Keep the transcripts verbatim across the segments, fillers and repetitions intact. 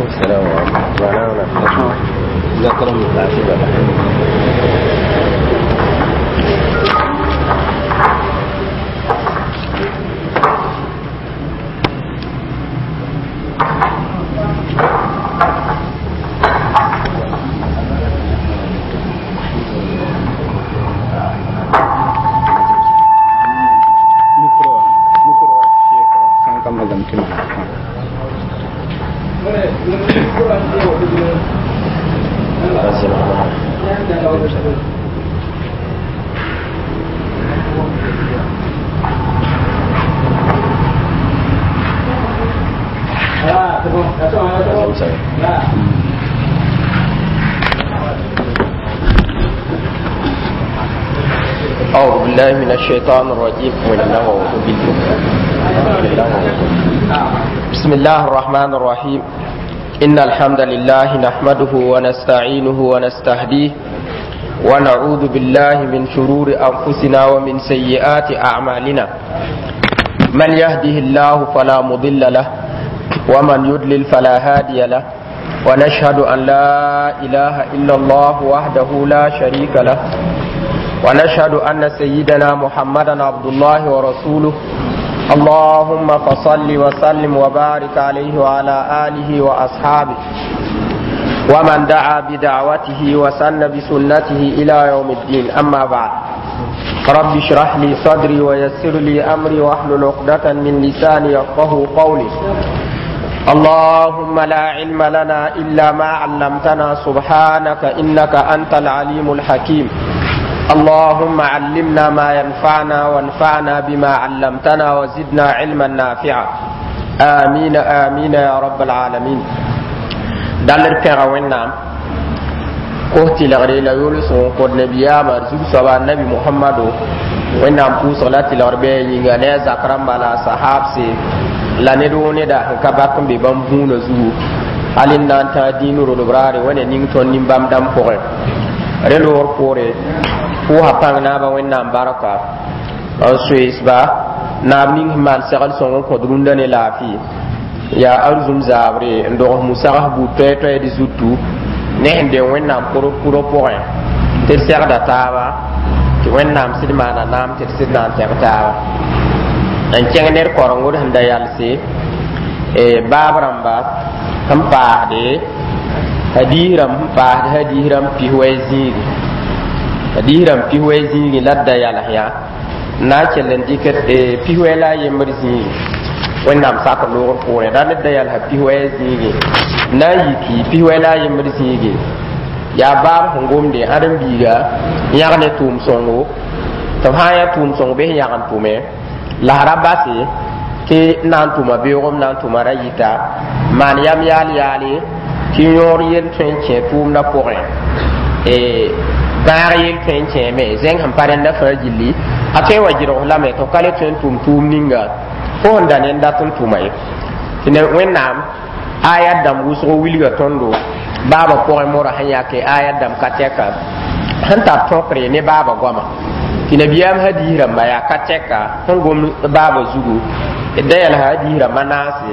وعليكم السلام ورحمة الله. جزاك الله خير. أعوذ بالله من الشيطان الرجيم. بسم الله الرحمن الرحيم. إن الحمد لله نحمده ونستعينه ونستهديه ونعوذ بالله من شرور أنفسنا ومن سيئات أعمالنا. من يهده الله فلا مضل له ومن يضلل فلا هادي له، ونشهد أن لا إله إلا الله وحده لا شريك له، ونشهد أن سيدنا محمدا عبد الله ورسوله. اللهم فصل وسلم وبارك عليه وعلى آله وأصحابه ومن دعا بدعوته وسن بسنته إلى يوم الدين. أما بعد، رب اشرح لي صدري ويسر لي أمري واحلل عقدة من لساني يفقه قولي. اللهم لا علم لنا إلا ما علمتنا سبحانك إنك أنت العليم الحكيم. اللهم علمنا ما ينفعنا وانفعنا بما علمتنا وزدنا علما نافعا. آمين آمين يا رب العالمين. دالر بيغا وينام كوتي لغري لا يولسون قد نبيا مرزوق سبا النبي محمد وينام بوس لا تلغربي ينغا ني زكرم بالا صحاب سي لا ندو ندا كباكم ببام بونو زو alin nan ta dinu rodobrare wene ning ton nimbam dam poge relor pore pʋʋsa pãng naabã wẽnnaam barka n soeesba naab ning sẽn maan segl sõng n kõt rũndã ne laafɩ yaa arzũm zaabre n dogs musags buud toɛ-toɛɛd zutu ne sẽn deng wẽnnaam pʋrɔ pʋgẽ tɩ d segda taaba tɩ wẽnnaam sɩd maana naam tɩ d sɩd na n tẽg taaba n kẽng ned korengd sẽn da yalse baab rãmba sẽn paasde hadiis rãmb sẽn paasd hadiis rãmb pis-wɛ zĩigi hadiis rãmb pis-wɛ zĩigi la d da yals yã n na n kell n dɩk pis-wɛ la a yembr zĩigi wẽnnaam sak loogr poorẽ ra ned da yalsa pis-wɛ zĩigi n na n yiki pis-wɛ la a yembr zĩigi yaa baab sẽn gomde ãdem-biiga yãg ne tʋʋm sõngo tɩ b sã n yã tʋʋm sõng bɩ sẽn yãg n tʋme la ra base tɩ na n tʋma beoogem na n tʋma ra yita maan yam yaal yaale tɩ yõor yel tõe n kẽ tʋʋmdã pʋgẽ bãag yel tõe n kẽeme zẽng sẽn pa rẽndã fãa gilli a tõe n wa gɩrgs lame tɩ f ka le tõe n tʋm tʋʋm ninga fo sẽn da ned dat n tʋma ye tɩ wẽnnaam ayat dãmb wʋsgo wilga tõndo baabã pʋgẽ morã sẽn yake ayat dãmb ka tɛka sẽn tar tõkre ne baabã goama tɩ nabiyaam hadiis rãmba yaa ka tɛka sẽn gom baabã zugu da yɛlsa hadiis rãmba naase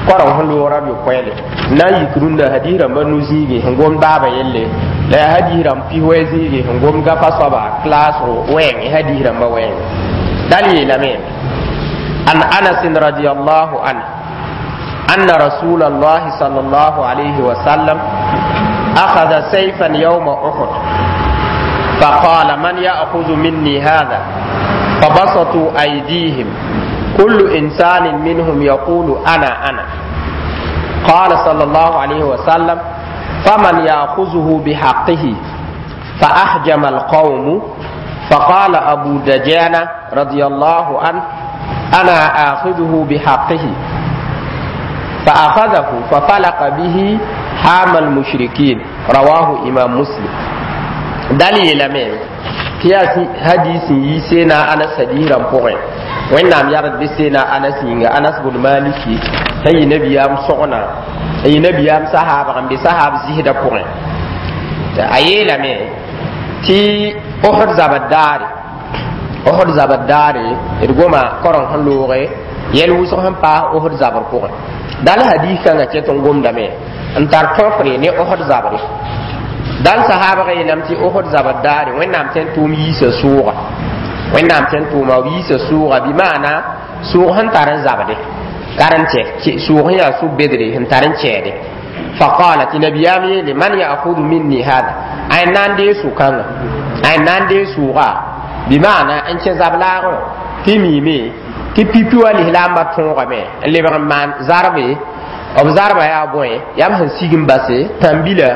koreng sẽn loogrã b yopoɛle n na n yik rũndã hadiis rãmba nu-zĩigi sẽn gom baabã yelle la yaa hadiis rãmb pis-wɛ zĩigi sẽn gom gafa soaba klaasgo wɛɛngẽ hadiis rãmba wɛɛngẽ dal yeelame an anas radiallahu anhu أن رسول الله صلى الله عليه وسلم أخذ سيفا يوم أحد فقال من يأخذ مني هذا؟ فبسطوا أيديهم كل إنسان منهم يقول أنا أنا. قال صلى الله عليه وسلم فمن يأخذه بحقه؟ فأحجم القوم. فقال أبو دجانة رضي الله عنه أنا آخذه بحقه. فأخذه ففلق به حام المشركين. رواه إمام مسلم. دليل من تياسي حديث يسينا أنس حديث رمпوغين وإنام يرد بسينا أنس ينغ أنس بن مالك أي نبي أم صغنا أي نبي أم صحابة أم بصحاب زهد بوغين أي لمن تي أحد زبداري أحد زبداري إرغوما قرن هلوغي Yɛl wʋsg sẽn paas Osd zabr pʋgẽ. Dal hadis kãngã ket n gomdame n tar tõfre ne Osd zabre. Dal sahaabg yeelame tɩ Osd zabr daare Wẽnnaam tõe n tʋʋm yiisa sʋʋga. Wẽnnaam tõe n tʋʋma b yiisa sʋʋga, bɩ maana sʋʋg sẽn tar n zabde karen-tɛ, sʋʋg sẽn yaa sʋ-bedre sẽn tar n kɛɛde. Faqala, tɩ nabiyaam yeele: man ya'khudhu minni hada? A na n dee sʋ-kãngã, a na n dee sʋʋga, bɩ maana n kẽ zab-laagẽ tɩ miime tɩ pipi wa lislaambã tõogame n lebg n maan zarbe. B zarba yaa bõe? Yaa b sẽn sig n base tãn-bila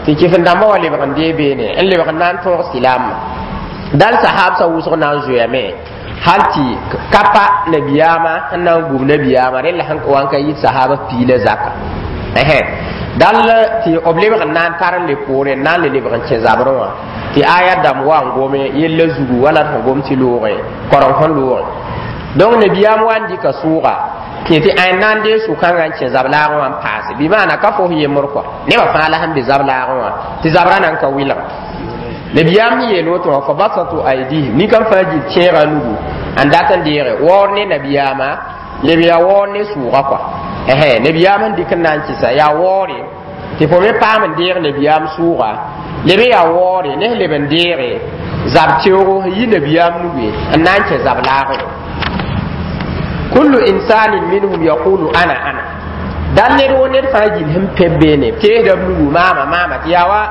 tɩ kɩf-n-dãmbã wa lebg n dee beene n lebg n na n tõog silaamã. Dal sahabsã wʋsg na n zoeame hal tɩ ka pa nabiyaamã n na n gub nabiyaamã rẽ la sẽn wa n ka yit sahaba piila zaka. Dal tɩ b lebg n na n tar n le poore n na n le lebg n kẽ zabrẽ wã tɩ aya dãmb wa n gome yella zugu wala d sẽn gom tɩ loogẽ koreng sẽn loogẽ. Donc nabiyaam wa n dɩka sʋʋga tɩ tɩ ã na n dee sʋ-kãngã n kẽ zab-laagẽ wã n paase, bɩ maana ka fos yembr kɔa nebã fãa la sẽn be zab-laagẽ wã tɩ zabrã na n ka wɩlg. Nabiyaam sẽn yeel woto wã, fa basatu aydihim, nin-kãng fãa gil kẽega nugu n dat n deege waoor ne nabiyaamã, leb yaa waoor ne sʋʋga kɔa. Nabiyaam sẽn dɩk n na n kɩsa yaa waoore tɩ fo me paam n deeg nabiyaam sʋʋga, leb yaa waoore ne sẽn leb n deege zab teoogo sẽn yi nabiyaam nuge n na n kẽ zab-laagẽ. Kullu insanin minhum yaqulu ana ana. Dal ned wo ned fãa gil sẽn pẽ beene teesda b nugu maama maama tɩ yaa wa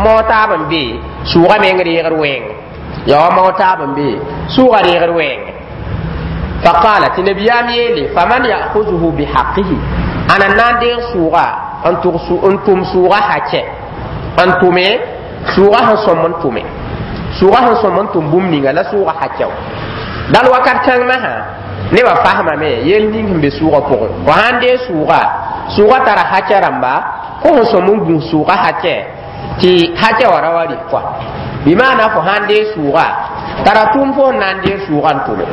mao taab n be sʋʋga meng reegd wɛɛng, yaa wa mao taab n be sʋʋga reegd wɛɛng. Faqala, tɩ nabiyaam yeele: faman ya'khuzuhu bihaqihi? Ana n na n deeg sʋʋga n tʋm sʋʋga hakɛ n tʋme sʋʋga sẽn sõm n tʋme sʋʋga sẽn sõm n tʋm bũmb ninga la sʋʋga hakɛo. Dal wakat kãng masã nebã fasmame yel ning sẽn be sʋʋga pʋgẽ. Fo sãn dee sʋʋga, sʋʋga tara hakɛ rãmba fo sẽn sõm n gũs sʋʋga hakɛ tɩ hakɛ wã ra wa rɩk kɔa, bɩ maana fo sãn dee sʋʋga tara tʋʋm fo sẽn na n deeg sʋʋga n tʋme.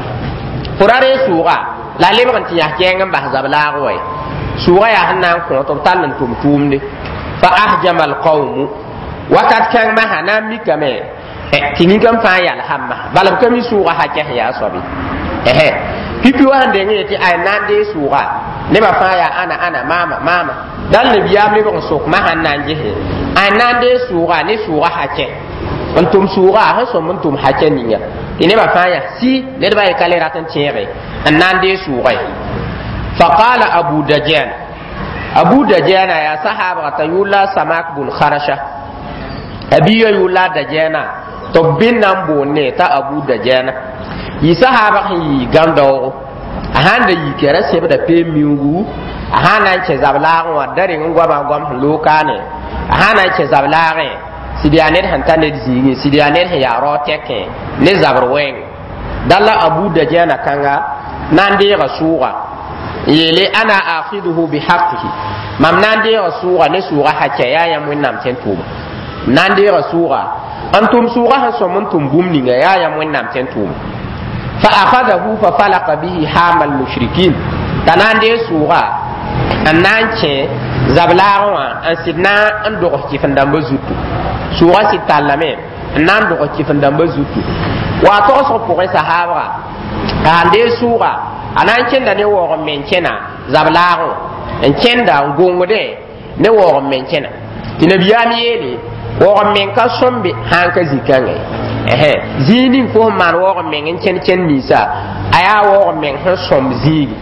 Fo ra ree sʋʋga la lebg n tɩ yãs kɛɛng n bas zab-laag wa ye sʋʋga yaa sẽn na n kõ tɩ b tall n tʋm tʋʋmde. Fa ahjama alqawmu, wakat kãng masã na n mikame tɩ nin-kãm fãa yalsam masã, bala b ka mi sʋʋga hakɛ sẽn yaa soabe. Pipi wa sẽn deng yetɩ ay na n dee sʋʋga, nebã fãa yaa ana ana maama maama. Dal nabiyaam lebg n sok masã n na n gese ay na n dee sʋʋga ne sʋʋga hakɛ n tʋm sʋʋga sẽn sõm n tʋm hakɛ ninga tɩ nebã fãa yaa si nedbã ye ka le rat n tẽege n na n dee sʋʋga ye. Faqala Abu Dajana, Abu Dajana yaa sahaabga t'a yʋʋr Samak bun Kharasha, a biigã yʋʋr la Dajana tɩ b bɩ na n boonne t'a Abu Dajana yɩ sahaabg sẽn yɩ gãn-daoogo. A sãn da yika ra sẽbda peem miuugu, a sãn na n kẽ zab-laagẽ wã da reng n goama goam sẽn loog kaane, a sãn na n kẽ zab-laagẽ sɩd yaa ned sẽn ta ned zĩigẽ, sɩd yaa ned sẽn yaa rao tɛkẽ ne zabr wɛɛng. Dal la Abu Dajana kãnga na n deega sʋʋga n yeele: ana akhiduhu bihaqihi, mam na n deega sʋʋga ne sʋʋga hakɛ yaa yãmb Wẽnnaam tõe n tʋʋma. Na n deega sʋʋga n tʋm sʋʋga sẽn sõm n tʋm bũmb ninga yaa yãmb Wẽnnaam tõe n tʋʋma. Fa akhadahu fa falaka bihi hama almushrikin, t'a na n deeg sʋʋga n na n kẽ zab-laagẽ wã n sɩd na n dogs kɩf-n-dãmbã zutu. Sʋʋga sɩd tallame n na n dogs kɩf-n-dãmbã zutu wa togsg pʋgẽ sahaabga a n deeg sʋʋga a na n kẽnda ne waoog n men kẽna zab-laagẽ n kẽnda n gongdẽ ne waoog n men kẽna tɩ nabiyaam yeele waoog n meng ka sõmbe sãn ka zĩ-kãngã ye zĩig ning fo sẽn maan waoog n meng n kẽnd kẽnd ninsa a yaa waoog n meng sẽn sõmb zĩigi.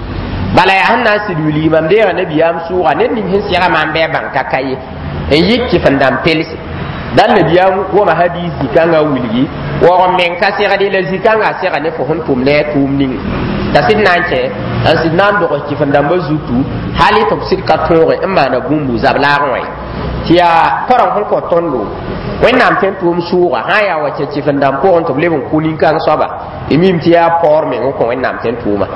Bala yaa sẽn na n sɩd wilgi mam deega nabiyaam sʋʋga ned ning sẽn sɛga maam bɩ a bãng ka ka ye n yɩk kɩf-n-dãmb pelse. Dal nabiyaam woma hadis zĩ-kãngã wilgi waoog n meng ka segde la zĩ-kãngã a sega ne fo sẽn tʋm ne a tʋʋm ning t'a sɩd na n kẽ n sɩd na n dogs kɩf-n-dãmbã zutu hali tɩ b sɩd ka tõoge n maana bũmbu zab-laagẽ wã ye tɩ yaa koreng sẽn kõ tõndo Wẽnnaam tõe n tʋʋm sʋʋga sã n yaa wa kẽ kɩf-n-dãmb pʋgẽ tɩ b leb n kʋ nin-kãng soaba y mim tɩ yaa paoor meng n kõ Wẽnnaam tõe n tʋʋma.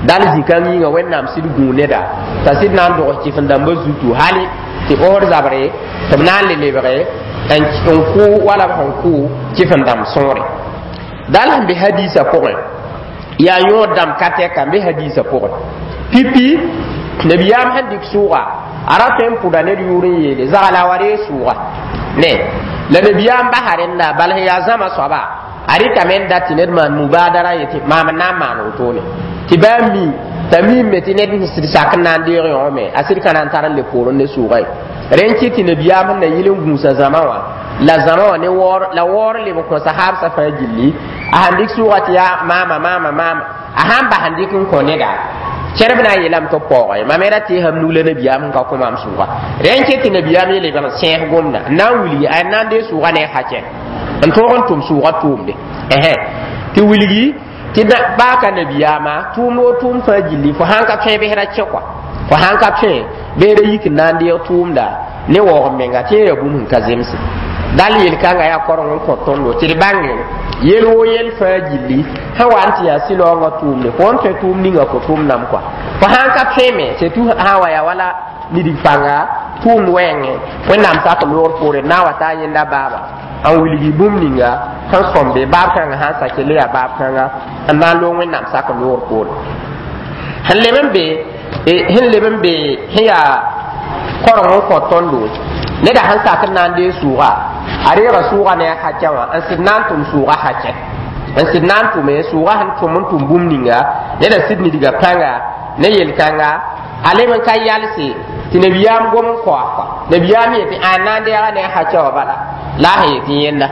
Dal zĩ-kãng yĩnga Wẽnnaam sɩd gũu neda t'a sɩd na n dogs kɩf-n-dãmbã zutu hali tɩ osd zabre tɩ b na n le lebge n kʋ wala b sẽn kʋ kɩf-n-dãmb sõore. Dal sẽn be hadiisã pʋgẽ yaa yõod dãmb ka tɛka n be hadiisã pʋgẽ. Pipi nabiyaam sẽn dɩk sʋʋga a ra tõe n pʋda ned yʋʋr n yeele zagla wa ree sʋʋga ne la nabiyaam basa rẽnda bal sẽn yaa zãma soaba a rɩkame n dat tɩ ned maan mubadara yetɩ maam n na n maan wotone tɩ baa mi T'a miime tɩ ned n sɩd sak n na n deeg yõome a sɩd ka na n tar n le poorẽ ne sʋʋga ye. Rẽ n kɩt tɩ nabiyaam sẽn na yɩl n gũusa zãma wã la zãma wã ne waoor la waoor leb n kõ sahaabsã fãa gilli. A sãn dɩk sʋʋga tɩ yaa maama maama maama, a sãn bas n dɩk n kõ neda, kẽrb na n yeelame tɩ b paooga ye. Mam me ra teesame nug la nabiyaam sẽn ka kõ maam sʋʋga. Rẽ n ket tɩ nabiyaam yeele b sẽes gomda n na n wilgi a na n dee sʋʋga ne a hakɛ n tõog n tʋm sʋʋga tʋʋmde tɩ wilgi tɩ baa ka nabiyaama tʋʋmd wo tʋʋmd fãa gilli. Fo sãn ka tõe bsra kẽ kɔa, fo sãn ka tõe bɩ ra yik n na n deeg tʋʋmda ne waoog menga tɩ yaa bũmb sẽn ka zemse. Dal yel-kãngã yaa koreng n kõ tõndo tɩ d bãnge yel woo yel fãa gilli sẽn wa n tɩ yaa sɩlaoongã tʋʋmde. Fo n tõe tʋʋm ninga fo tʋʋmdame kɔa, fo sãn ka tõe me surtout sã n wa yaa wala nidig pãnga tʋʋmd wɛɛngẽ, Wẽnnaam sak loogr poore na n wa taa yẽnda baaba n wilgi bũmb ninga sẽn sõmbe baab kãngã sãn sa kell yaa baab kãnga n na n loog Wẽnnaam sak loogr poore. Sẽn leb n be sẽn leb n be sẽn yaa koreng n kõ tõndo, neda sẽn sak n na n dee sʋʋga, a reega sʋʋga ne a hakɛ wã n sɩd na n tʋm sʋʋga hakɛ n sɩd na n tʋme sʋʋga sẽn tʋm n tʋm bũmb ninga neda sɩd nidga pãnga ne yel-kãnga a leb n ka yalse tɩ nabiyaam gom n koa kɔa. Nabiyaam yetɩ a na n deega ne a hakɛ wã bala la a sẽn yetɩ yẽnda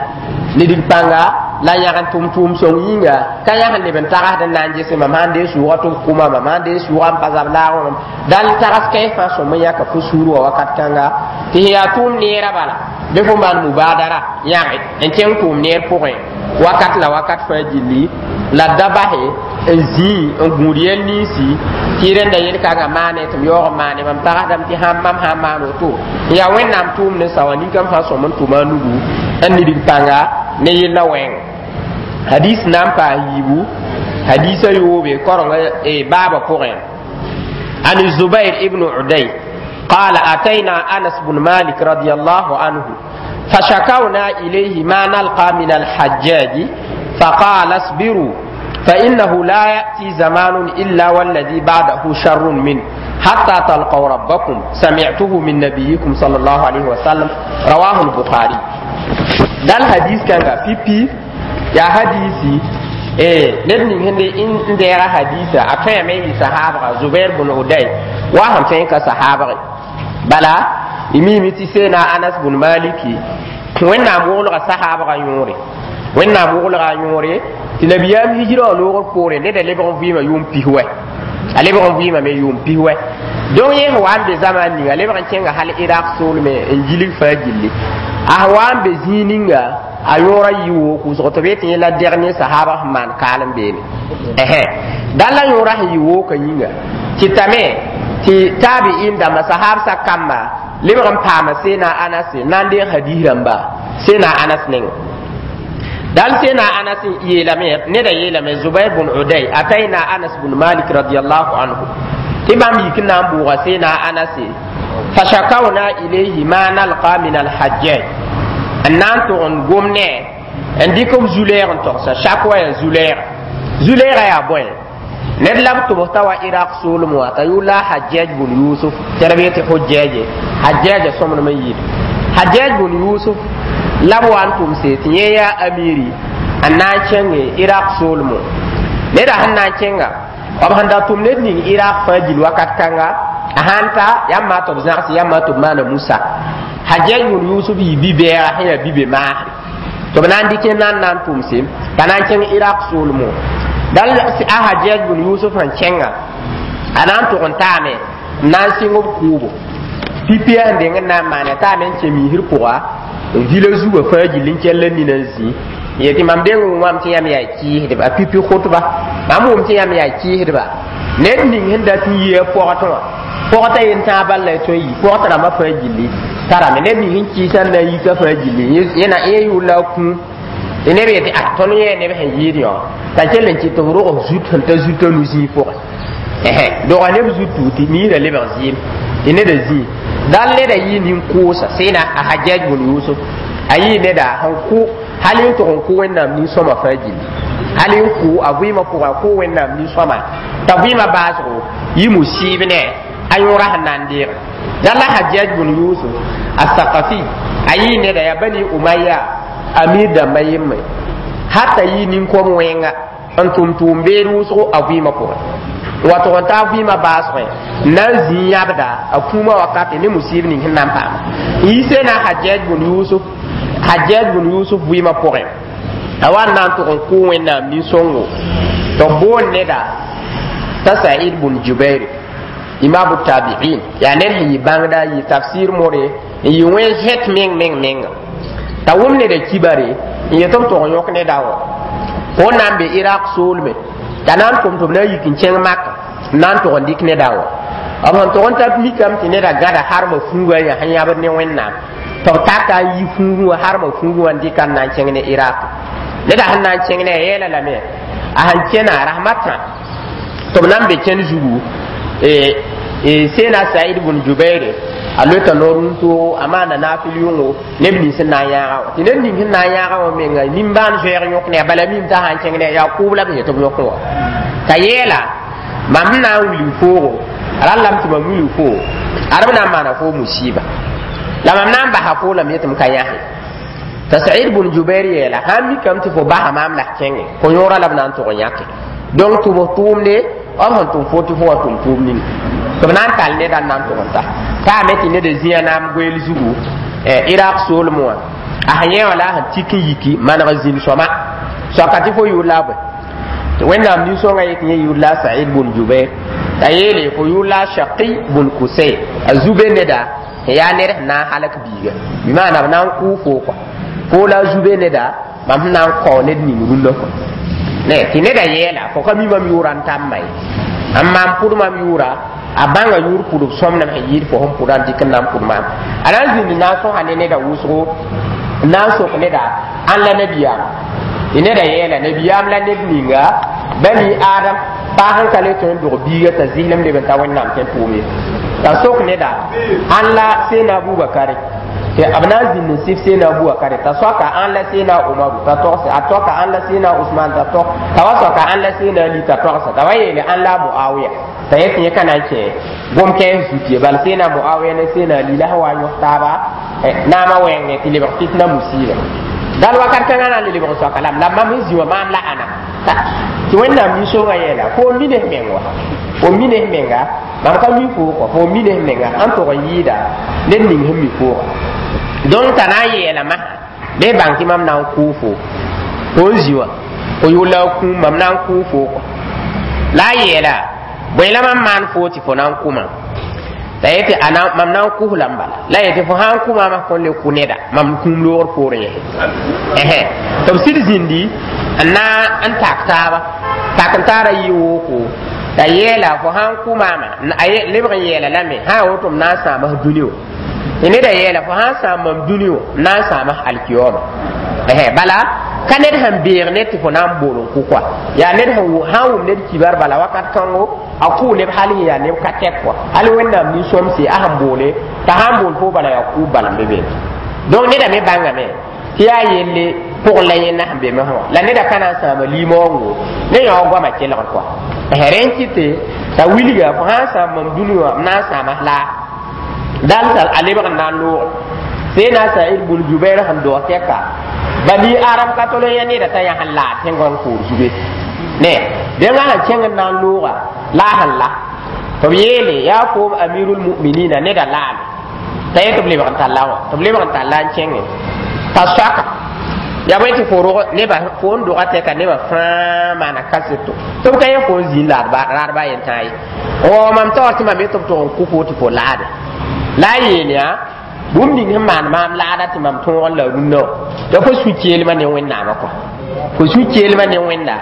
nidg pãnga la yãg n tʋm tʋʋm sõng yĩnga ka yãg n leb n tagsd n na n gese mam sãn dee sʋʋga tɩ b kʋma mam sãn dee sʋʋga n pa zab laagẽ mam dal tags kãens fãa sõm n yãka fo sũur wã wakat kãnga tɩ sẽn yaa tʋʋm neerã bala bɩ fo maan mubadara yãge n kẽng tʋʋm neer pʋgẽ wakat la wakat fãa gilli la da base n zĩi n gũud yɛl ninsi tɩ rẽnda yel-kãngã maane tɩ m yaoog n maane mam tagsdame tɩ sãn mam sãn maan woto n yaa Wẽnnaam tʋʋm ne sawa ninkam fãa sõm n tʋma a nugu n nidg pãnga ne yella wɛɛngẽ. Hadis na n paas yiibu, hadisa yoobe korengã baabã pʋgẽ. عن الزبير ابن عدي قال: أتينا أنس بن مالك رضي الله عنه فشكونا إليه ما نلقى من الحجاج، فقال: اصبروا، فإنه لا يأتي زمان إلا والذي بعده شر منه حتى تلقوا ربكم، سمعته من نبيكم صلى الله عليه وسلم. رواه البخاري. Dal hadis kanga pipi ya hadisi eh ned ning sẽn n deega hadisa a tõeme n yɩ sahaabga Zubair bn Uday wa sẽn tõe n ka sahaabge bala y miime tɩ seena Anas bn Maliki Wẽnnaam woglga sahaabga yõore, Wẽnnaam woglga yõore tɩ nabiyaam hijra wã loogr poore neda lebg n vɩɩmã yʋʋm pis wɛ, a lebg n vɩɩmame yʋʋm pis wɛ. Donc yẽ sẽn wa n be zamaan ninga a lebg n kẽnga hal Iraq soolme n gilg fãa gilli a wa n be zĩig ninga a yõora yɩ woo kʋʋsg tɩ b yetɩ yẽ la dernier sahaba sẽn maan kaal n beene ɛhɛ dal la yõora sẽn yɩ wooka yĩnga tɩ tame tɩ taabi'in dãmba sahaabsã kamba lebg n paama seena Anas na n deeg hadis rãmba seena Anas nengẽ. Dal seena Anas yeelame neda yeelame Zubair bn Uday: atayna Anas bn Malik radiallahu anhu, tɩ bãmb yik n na n bʋʋga seena Anas, fashakawna ilayhi ma nalqa min alhajjaj n na n tʋg n gom ne n dɩk b zu-lɛɛg n togsa shakwa yaa zu-lɛɛga. Zu-lɛɛga yaa bõe? Ned la b tʋbs t'a wa Iraq soolem wã t'a yʋʋr la Hajjaj bun Yusuf tɩ b yetɩ Hujjaje Hajjaja sõmdem n yɩɩd Hajjaj bun Yusuf la b wa n tʋmse tɩ yẽ yaa amiri n na n kẽnge Iraq soolemo. Neda sẽn na n kẽnga b sẽn da tʋm ned ning Iraq fãa gil wakat kãnga a sãn ta yãmb maa tɩ b zãgs yãmb maa tɩ b maana Musa. Hajjaj bun Yusuf yɩ bi-bɛɛga sẽn yaa bi-be maasre tɩ b na n dɩk na n na n tʋmse t'a na n kẽng Iraq soolemo. Dal a Hajjaj bun Yusuf sẽn kẽnga a na n tʋg n taame n na n sɩng b kʋʋbo pipi sẽn deng n na n maane taame n kẽ miisr pʋga n vila zugã fãa gill n kell n nina n zĩ yetɩ mam deng wʋmame tɩ yãmb yaa kɩɩsdba a pipi khʋtba mam wʋm tɩ yãmb yaa kɩɩsdba ned ning sẽn dat n yɩ a pɔgtẽ wã pɔgtã yen tãag bal la y tõe n yi pɔgtã rãmbã fãa gilli tarame ned ning sẽn kɩɩsã n na n yika fãa gilli yẽ yʋʋr la a kũum tɩ neb yetɩ a tõnd yẽ neb sẽn yɩɩd yõ t'a kell n kɩt tɩ f rog zut sẽn ta zutã nu-zĩig pʋgẽ doga neb zutu tɩ niirã lebg zɩɩm tɩ neda zĩig dal neda yɩ nin-kʋʋsa sẽna a Hajjaj bun Yusuf a yɩ neda sẽn kʋ hal n tʋg n kʋ Wẽnnaam nin-sõma fãa gilli hal n kʋ a vɩɩmã pʋgã kʋ Wẽnnaam nin-sõma t'a vɩɩmã baasgo yɩ musiib ne a yõora sẽn na n deege dal la Hajjaj bun Yusuf a Sakafi a yɩ neda yaa Bani Umaya amir dãmbã yembre hata yɩ nin-kom wẽnga n tʋm tʋʋm beed wʋsgo a vɩɩmã pʋgẽ. Wa tʋg n taa vɩɩmã baasgẽ n na n zĩ yãbda a kũumã wakate ne musib ning sẽn na n paama n yi seena Hajjaj bun Yusuf, Hajjaj bun Yusuf vɩɩmã pʋgẽ a wa n na n tʋg n kʋ Wẽnnaam nin-sõngo tɩ b boond neda t'a Said bun Jubair, imamu tabiin, yaa ned sẽn yɩ bãngda, yɩ tafsir more n yɩ wẽn zẽt meng meng menga t'a wʋm neda kibare n yet b tʋg n yõk neda wã fo n na n be Iraq soolme t'a na n tʋm tɩ b na n yik n kẽng Maka n na n tʋg n dɩk neda wã. B sẽn tʋg n ta mikame tɩ neda gãda harmã fuuga yã sẽn yãbd ne Wẽnnaam tɩ b taka n yi fuugẽ wã, harmã fuugẽ wã n dɩka n na n kẽng ne Iraq. Neda sẽn na n kẽng ne a yeela lame a sẽn kẽna rasmatã tɩ b na n be kẽnd zugu. Seena Said bun Jubaire a loeta noor wũntoogo a maanda naafɩl yʋngo neb nins sẽn na n yãaga wã tɩ ned ning sẽn na n yãaga wã menga nimbãan zoɛɛg yõk ne a bala mim t'a sãn kẽng ne yaa kʋʋb la b yet b yõk wã t'a yeela mam sẽn na n wilg foogo a rallame tɩ mam wilg foo ad b na n maana foo musiba la mam na n basa foo lame tɩ m ka yãse. T'a Said bun Jubair yeela sãn mikame tɩ fo basa maam la kẽnge fo yõora la b na n tʋg n yãke donc tʋ b tʋʋmde b sẽn tʋm fo tɩ fo wa tʋm tʋʋm ning tɩ b na n tall neda n na n tʋg n ta taame tɩ neda zĩa naam goeel zugu Iraq soolem wã a sẽn yẽ wã la a sẽn tik n yiki maneg zĩn sõma soaka tɩ fo yʋʋr la a bõe tɩ Wẽnnaam nin-sõngã yetɩ yẽ yʋʋr la Said bun Jubair t'a yeele fo yʋʋr la Shaqi bun Kusay a zube neda sẽn yaa ned sẽn na n halk biiga bɩ maana b na n kʋʋ foo kɔa foo la a zube neda mam sẽn na n kao ned ning rũndã kɔa ne tɩ neda yɛɛla fo ka mi mam yʋʋra n tamma ye n maan pʋd mam yʋʋra a bãnga yʋʋr pʋdb sõmnem sẽn yɩɩd fo sẽn pʋda n dɩk n na n pʋd maam a na n zĩnd na n sõsa ne neda wʋsgo n na n sok neda ãn la nabiyaam tɩ neda yɛɛla nabiyaam la ned ninga bani Adam paa sẽn ka le tõe n dog biiga t'a zɩslem leb n ta Wẽnnaam tẽ pʋʋme t'a sok neda ãn la seena Abubakare tɩ b na n zĩnd n sɩf seena Abubakare t'a soaka ãn la seena Umaru t'a togse a toka ãn la seena Usman t'a tog t'a wa soaka ãn la seena Ali t'a togsa t'a wa yeele ãn la Muawiya t'a yet yẽ ka na n kẽ gom-kɛɛs zut ye bala seena Muawiya ne seena Ali la sẽn wa n yõs taaba naamã wɛɛnge tɩ lebg fitna musiiba dal wakat kãngã na n le lebg n soaka lame la mam sẽn zĩ wã maam la ãna tɩ Wẽnnaam nin-sõngã yeela fo mi ne f meng wa fo mi ne f menga mam ka mi foo kɔ fo mi ne f menga n tʋg n yɩɩda ned ning sẽn mi fooga donc t'a na n yeelame bɩ bãng tɩ mam na n kʋʋ fo fo n zĩ wã fo yʋʋr la a kũum mam na n kʋʋ fo kɔ la a yeela bõe la mam maan foo tɩ fo na n kʋ mam t'a yetɩ mam na n kʋs lame bala la yetɩ fo sã n kʋ maama kõn le kʋ neda mam kũum loogr poorẽ yɛse ɛhɛ tɩ b sɩd zĩndi n na n tak taaba tak n taara yɩ wooko t'a yeela fo sã n kʋ maama lebg n yeela lame sã n woto m na n sãama dũni wã tɩ neda yeela fo sã n sãam mam dũni wã m na n sãama alkiyoma ɛhɛ bala ka ned sẽn beeg ned tɩ fo na n bool n kʋ kɔa yaa ned sẽn sã n wʋm ned kibar bala wakat kãngo a kʋʋ neb hal sẽn yaa neb ka tɛk kɔa hal Wẽnnaam nin-sõmse a sẽn boole t'a sã n bool fo bala yaa kʋʋb bala n be beene donc neda me bãngame tɩ yaa yelle pʋgẽ la yẽnda sẽn be mesẽ wã la neda ka na n sãama limaoongo ne yão goamã kelgr kɔa rẽ n kɩte t'a wilga fo sã n sãam mam dũni wã m na n sãama laa dal t'a a lebg n na n loog seena Said bun Jubair sẽn doog tɛka bani Aram ka tol n yã neda t'a yã sẽn laa tẽngã koor zube ne dẽngã sẽn kẽng n na n looga la a sẽn la tɩ b yeele yaa foom amirul muminina neda laame t'a yet b lebg n talla wã tɩ b lebg n talla n kẽngẽ t'a soaka ya bõe tɩ fo rog nebã fo n doga tɛka nebã fãa maana kaseto tɩ b ka yẽ fo n zĩnd raadba yen tãa ye o mam taoor tɩ mam yet b tʋg n kʋ fo tɩ fo laade la a yeel yaa bũmb ning sẽn maan maam laada tɩ mam tõog n la rũnnã wã t'a fo sũ-keelmã ne Wẽnnaamã kɔa fo sũ-keelmã ne Wẽnda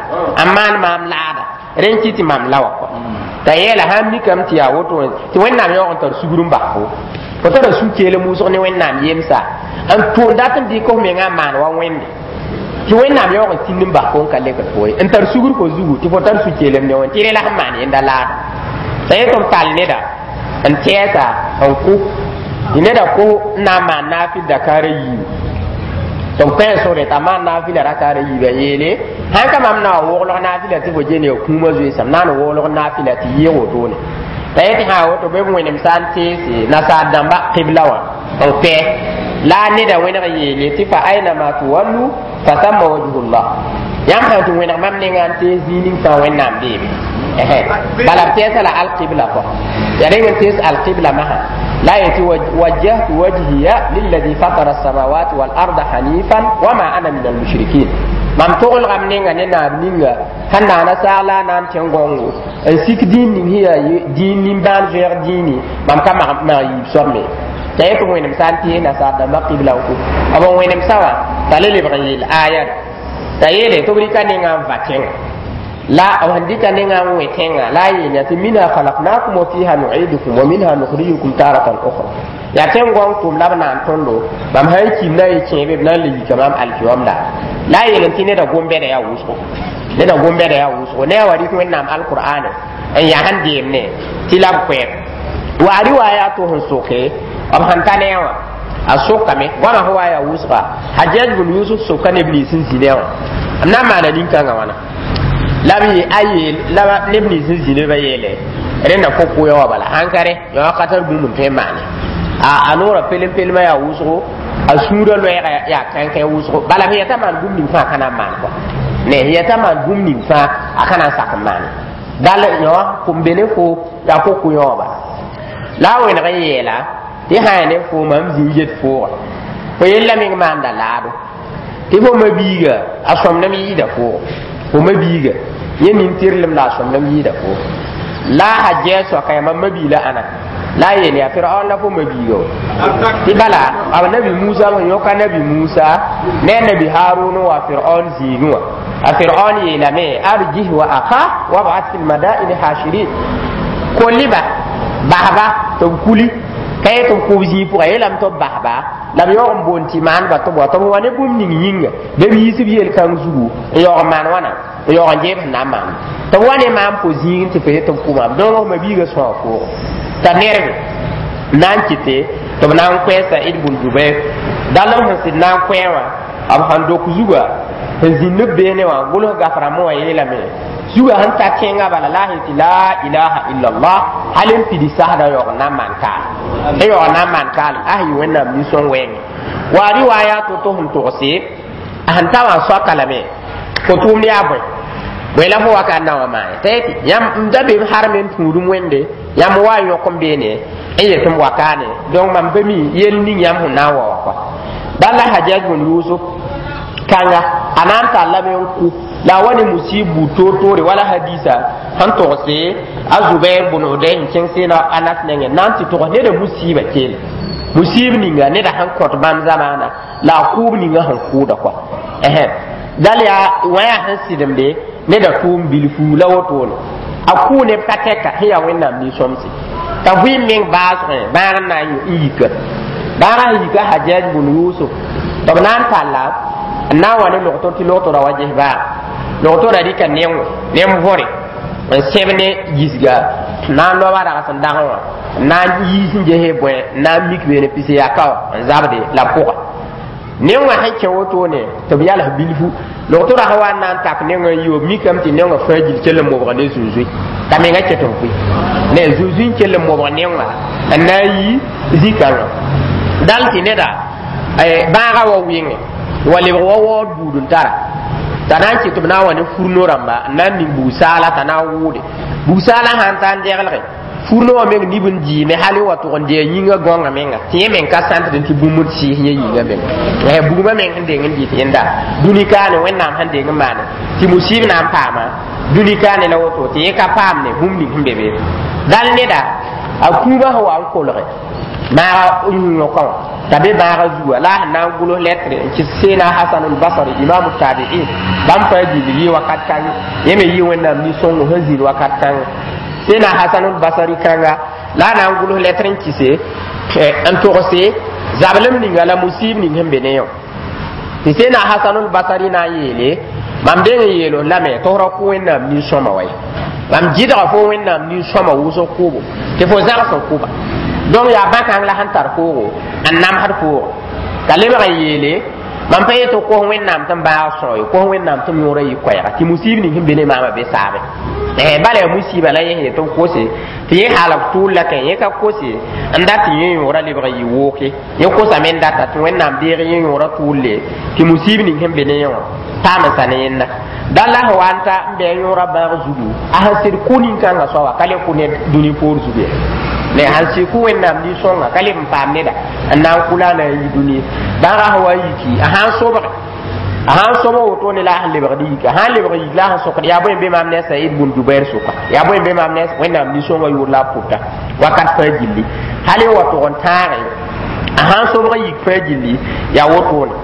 n maan maam laada rẽ n kɩ tɩ mam la wã kɔa t'a yeela sãn mikame tɩ yaa woto tɩ Wẽnnaam yaoog n tar sugr n bas fo fo tara sũ-keelem wʋsg ne Wẽnnaam yemsa n tʋʋn dat n dɩk f mengã n maan wa Wẽnde tɩ Wẽnnaam yaoog n tĩnd n bas fo n ka lekd fo ye n tar sugr fo zugu tɩ fo tar sũ-keelem ne Wẽnd tɩ rẽ la sẽn maan yẽnda laada t'a yet b tall neda n tɛɛsa n kʋ tɩ neda kos n na n maan naafɩl dakaarã yiibu tɩ b kõ sore t'a maan naafɩla rakaara yiibã yeele sãn ka mam na wa woglg naafɩla tɩ fo gene ya kũumã zoeesam na n woglg naafɩla tɩ yɩɩg wotone t'a yetɩ sã woto bɩ b wẽnem sã n teese nasaar dãmba qibla wã n kpɛ la a neda wẽneg yeele tɩ fa ainama tuwallu fa thamma wajhullah yãmb sã n tɩ wẽneg mam nengã n tees zĩig ning fãa Wẽnnaam beebe Bala b tɛɛsa la alqibla kɔ ya reng n tees alqibla masã la yetɩ wajjahtu wajhiya lilladhi fatara alsamawati walarda hanifan wama ana min almushrikin. Mam toglgame nenga ne naab ninga sẽn naana saag la a na n tẽ gõngo n sik dĩin ning sẽn yaa dĩin nimbãan zoɛɛg dĩini mam ka mag yiib soab me t'a yetɩ wẽnem sã n tɩ nasaar dãmbã qibla n ko b n wẽnem sã wã t'a le lebg n yeel aya t'a yeele tɩ b rɩka nengã n va tẽnga la b sẽn dɩka nengã n wẽ tẽnga la a yeel tɩ minha khalaqnakum wa fiha nu'idukum wa minha nukhrijukum taratan ukhra yaa tẽn-gõng tʋm la b naan tõndo bãmb sã n kim na n kẽebe b na n le yika maam alkiyom la la a yeel tɩ neda gom-bɛda yaa wʋsgo neda gom-bɛda yaa wʋsgo ne a wa rɩk wẽnnaam alqur'ane n yaa sẽn deemne tɩ la b koɛɛg wa a riwaaya to sẽn soke b sẽn ta ne wã a sokame goamã sẽn wa yaa wʋsga Hajjaj bun Yusuf soka neb nins n zĩ ne wã b na n maana nin-kãngã wãna la b a yeel la neb nins n zĩ nebã yeele rẽnda fo kʋya wã bala sãn ka rẽ yã ka tar bũmb n tõe n maane a noorã pelem-pelemã yaa wʋsgo a sũurã loɛɛga yaa kãnkẽ wʋsgo bala f yɛta maan bũmb ning fãa ka na n maan kɔa ne yɛta maan bũmb ning fãa a ka na n sak n maane dal yõ kom be ne fo yaa fo kʋ yõ bala la a wẽneg n yeela tɩ sã ya ne fo mam zĩ n get fooga fo yella meng maanda laado tɩ fo mabiiga a sõmdem yɩɩda foogo fo mabiiga yẽ nin-tɩrlem la a sõmdem yɩɩda foogo la a Hajjaj soaka yaa mam mabiila ãna la a yeel yaa Firaon la fo mabiiga wa tɩ bala b nabi Musa sẽn yõka nabi Musa ne a nabi Harun wa Firaon zĩigẽ wã a Firaon yeelame arjih wa akha wab'ath fi lmadaini hashirin kolliba basba tɩ b kuli ka yet tɩ b kʋb zĩig pʋga yeelame tɩ b basba la b yaoog n boond tɩ maanba tɩ b wa tɩ b wa ne bũmb ning yĩnga bɩ b yiis b yel-kãng zugu n yaoog n maan wãna n yaoog n jeeb sẽn na n maan tɩ b wa ne maam fo zĩig tɩ fo yet tɩ b kʋ maam donc mabiigã sõa foogo t'a nerbe na n kɩte tɩ b na n koɛ Said bun Jubair dal b sẽn sɩd na n koɛ wã b sãn dok zuga sẽn zĩnd b beene wã gʋls gaf-rãmbã wã yeelame zuga sẽn ta tẽngã bala la a sẽn tɩ la ilaha illallah hal n pidi sasda yaoog n na n maan kaal n yaoog n na n maan kaal a sẽn yɩ wẽnnaam nin-sõng wɛɛngẽ wa riwaaya to-to sẽn togse a sẽn ta wã soaka lame fo tʋʋmd yaa bõe bõe la fo wakat na wã maane t'a yetɩ yãmb m da be m harme n tũudum wẽnde yãmb wa n yõk n beene n yet m wakaane donc mam be mi yell ning yãmb sẽn na n wa wã kɔa bala Hajjaj bun Yusuf kãnga a na n tallame n kʋ la a wa ne musib buud toor-toore wala hadisa sẽn togse a Zubair bun Udai n kẽng seena Anas nengẽ na n tɩ togs neda musiiba keele musiib ninga neda sẽn kõt bãmb zamaana la a kʋʋb ninga sẽn kʋʋda kɔa dal yaa wã yaa sẽn sɩdemde neda tʋʋm bilfu la wotone a kʋʋ neb ka tɛka sẽn yaa wẽnnaam nin-sõmse t'a vɩɩm meng baasgẽ bãag n na n yika bãagã sẽn yika Hajjaj bun Yusuf tɩ b na n talla n na n wa ne logtor tɩ logtora wa ges baag logtora rɩka nengo nem võre n sẽb ne gisga n na n loaba rags n dagẽ wã n na n yiis n gese bõe n na n mik beene pis yaka wã n zabde la pʋga nengã sẽn kẽ wotone tɩ b yals bilfu logtora sã wa n na n tak nengã n yi b mikame tɩ nengã fãa gil kell n mobg ne zũnzũi t'a menga ket n pʋɩ ne zũnzũi n kell n mobg nengã n na n yi zĩ-kãngã dal tɩ neda bãagã wa wɩngẽ wa lebg wa waood buud n tara t'a na n kɩ tɩ b na n wa ne furno rãmba n na n ning bug-saala t'a na n wʋʋde bug-saalã sã n ta n deglge furno wã meng nib n dɩɩme hal n wa tʋg n dee yĩngã gõngã menga tɩ yẽ meng ka sãntd tɩ bũmb d sɩɩs yẽ yĩngã menga bugmã meng sẽn deng n dɩt yẽnda dũni kaane wẽnnaam sẽn deng n maane tɩ musib na n paama dũni kaane la woto tɩ yẽ ka paam ne bũmb ning sẽn be be dal neda a kũubã sẽn wa n kolge maaga yõkã wã t'a be bãagã zuga la a sẽn na n gʋls lɛtre n kɩs seena Hasan al-Basri imamu tabi'in bãmb fãa gill yɩ wakat kãng yẽ me yɩ wẽnnaam nin-sõngo sẽn zĩnd wakat kãng seena Hasan al-Basri kãnga la a na n gʋls lɛtr n kɩse n togse zablem ninga la musib ning sẽn be ne yõ tɩ seena Hasan al-Basri na n yeele mam deng n yeel lame tɩ f ra kʋ wẽnnaam nin-sõma wa ye mam gɩdga fo wẽnnaam nin-sõma wʋsg kʋʋbo tɩ fo zãgs n kʋba donc yaa bãkãng la sẽn tar foogo n namsd foogo t'a lebg n yeele mam pa yetɩ kos wẽnnaam tɩ n baag sõo ye kos wẽnnaam tɩ m yõora yɩ koɛɛga tɩ musiib ning sẽn be ne maamã be saabe bala yaa musiiba la yẽ sẽn yet tɩ b kose tɩ yẽ halg tʋʋl la kẽ yẽ ka kose n dat tɩ yẽ yõora lebg n yɩ wooke yẽ kosame n data tɩ wẽnnaam deeg yẽ yõora tʋʋlle tɩ musiib ning sẽn be ne yẽ wã Paam n sa ne yẽnda dal la sẽn wa n ta n bɩ a yõora bãag zugu, a sẽn sɩd kʋ nin-kãngã soaba ka le kʋ ned dũni poor zugu ye. Ne sãn sɩd kʋ Wẽnnaam nin-sõnga ka leb n paam neda n na n kʋ la a na n yi dũni bãagã sẽn wa n yiki, a sã n sobge, a sãn sobg wotone la a sẽn lebgd yik, a sã n lebg yik la a sẽn sokd yaa bõe n be maam ne a Said bun Jubair sʋka, yaa bõe n be maam ne Wẽnnaam nin-sõngã yʋʋr la a pʋta wakat fãa gilli, hal n wa tʋg n tãage. A sãn sobg n yik fãa gilli yaa wotone.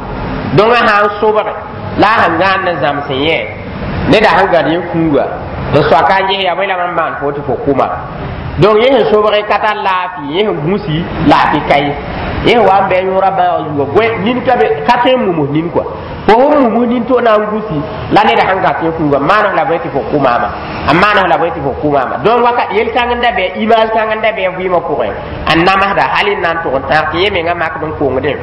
Donc a sãn sobge la a sẽn gãand n zãms n yẽ neda sẽn gãd yẽ kũuga n soaka n ges yaa bõe la mam maan fo tɩ fo kʋma. Donc yẽ sẽn sobg ka tar laafɩ, yẽ sẽn gũsi laafɩ ka ye, yẽ sẽn wa n bɩ a yõora bãag zuga goe nin ka be ka tõe n mumus nin kɔa. Fo sẽn mumus nin to na n gũsi la neda sẽn gat yẽ kũuga maan la bõe tɩ fo kʋ maama, a maan la bõe tɩ fo kʋ maama. Donc wakat yel-kãng n da bɩ, image kãng n da bɩ a vɩɩmã pʋgẽ n namsda hal n na n tʋg n tãag tɩ yẽ menga makd n kongdẽ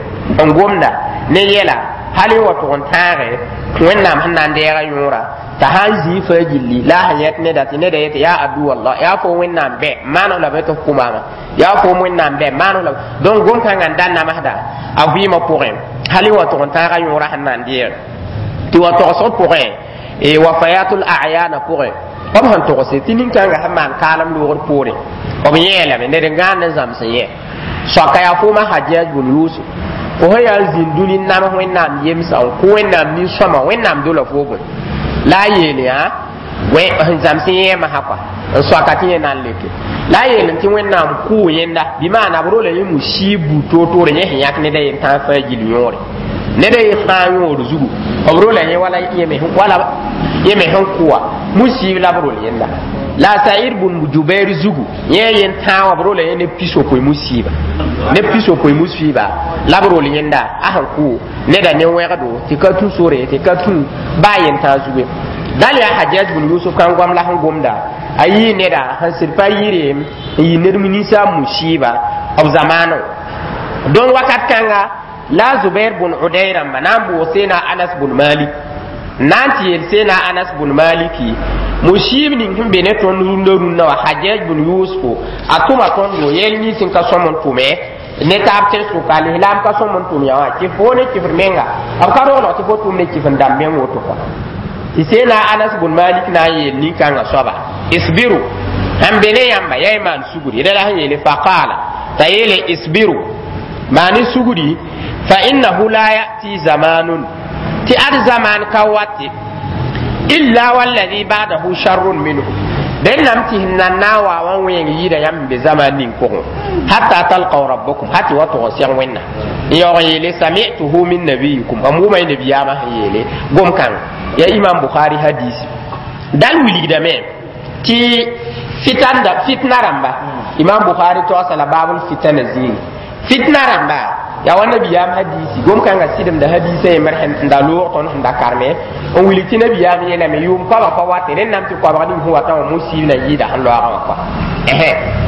n gomda ne yɛla hal n wa tʋg n tãage Wẽnnaam sẽn na n deega yõora t'a sã n zĩig fãa gilli la a sẽn yẽt neda tɩ neda yetɩ yaa adu wallah, yaa fo Wẽnnaam bɛ maan la bõe tɩ f kʋ maama, yaa fo Wẽnnaam bɛ maan la. Donc gom-kãngã n da namsda a vɩɩmã pʋgẽ hal n wa tʋg n tãaga yõora sẽn na n deeg tɩ wa togsg pʋgẽ wafayatul a'yana pʋgẽ b sẽn togse tɩ nin-kãngã sẽn maan kaalem loogr poore b yẽelame ned n gãand n zãms n yẽ soaka yaa fooma Hajjaj bun Yusuf, fo sẽn yaa n zĩnd dũni n nams Wẽnnaam yemsa n kʋ Wẽnnaam nin-sõma, Wẽnnaam dola fo bõe la a yeel yaa sẽn zãms n yẽ masã kɔa n soaka tɩ yẽ na n leke la a yeel tɩ Wẽnnaam kʋʋ yẽnda bɩ maana b rola yẽ musiib buud toor-toore yẽ sẽn yãk neda yen tãag fãa gill yõore neda ye fãa yõor zugu b rola yẽ wala yẽ me sẽn kʋwa musiib la b rol yẽnda la Saïd bun Jubair zugu yẽ yen tãag wã b rola yẽ ne pisopoe musiiba, ne pisopoe musiiba la b rol yẽnda a sẽn kʋ neda ne wẽgdo tɩ ka tũ sore tɩ ka tũ baa yen tãag zugu. Dal yaa Hajjaj bun Yusuf kan goam la sẽn gomda a yii neda sẽn sɩd pa yɩre n yɩ ned ninsaab musiiba b zamaano. Donc wakat kãnga la Zubair bun Uday rãmba na n bʋʋg Seena Anas bun Malik na n tɩ yeel Seena Anas bun Maliki musiib ning sẽn be ne tõnd rũndã rũndã wã Hajjaj bun Yusufo a tʋma tõndo yɛl nins n ka sõm n tʋme ne taab tẽn-sʋka lislaam ka sõm n tʋm ya wã tɩ fo ne kɩfd menga b ka roglg tɩ fo tʋm ne kɩf n dãmb meng woto kɔa. Tɩ Seena Anas bun Malik na n yeel nin-kãngã soaba isbiru sẽn be ne yãmba yaa y maan sugri rẽ la sẽn yeele faqaala t'a yeele isbiru maani sugri fa innahu la ya'ti zamanun tɩ ad zaman ka wate illa walladhi ba'dahu sharrun minhu rẽnnam tɩ sẽn nan na n wa wã wẽeng yɩɩda yãmb n be zaman ning pʋgẽ hatta talqaw rabbakum ha tɩ wa tʋg n seg Wẽnna n yaoog n yeele sami'tuhu min nabiyikum mam wʋma y nabiyaamã sẽn yeele gom-kãng ya Imam Bukhari hadisi dal wilgdame tɩ fitanda fitna rãmba Imam Bukhari togsa la babul fitana zĩig fitna rãmba yaa wa nabiyaam hadisi gom-kãngã sɩdemda hadisã yembr n da loog tõnd sẽn da karme n wilg tɩ nabiyaam yeelame yʋʋm koabg pa wate rẽnnam tɩ koabg ning sẽn wata wã musiib na yɩɩda sẽn loaagã wã kɔa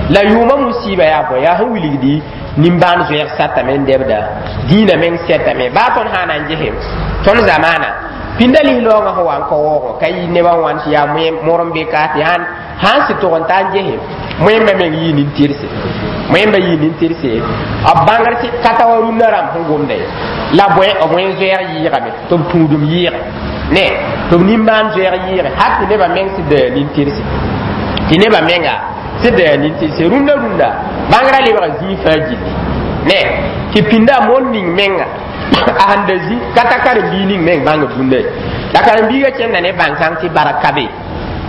la yʋʋmã musiiba yaa bõe yaa sẽn wilgdi nimbãan zoɛɛg satame n dɛbda dĩinã meng sɛtame baa tõnd sã na n gese tõnd zamaana pĩnda lis-laoongã sẽn wa n ka waoogẽ ka yɩ nebã wãn tɩ yaa moor n be ka tɩ sãn sãn sɩ tʋg n ta n gese moẽmbã meng yɩ nin-tɩrse moẽmbã yɩ nin-tɩrse b bãngr tɩ ka ta wa rũndã rãmb sẽn gomda ye la bõe b wẽn zoɛɛg yɩɩgame tɩ b tũudum yɩɩge ne tɩ b nimbãan zoɛɛg yɩɩge hal tɩ nebã meng sɩd da nin-tɩrse tɩ nebã menga sɩd da nin-tɩrse rũndã rũndã bãngrã lebga zĩig fãa gilli ne tɩ pĩnda moon ning menga a sẽn da zĩ ka ta karen-biig ning meng bãng bũnda ye la karen-biigã kẽnda ne bãn-kãng tɩ bark ka be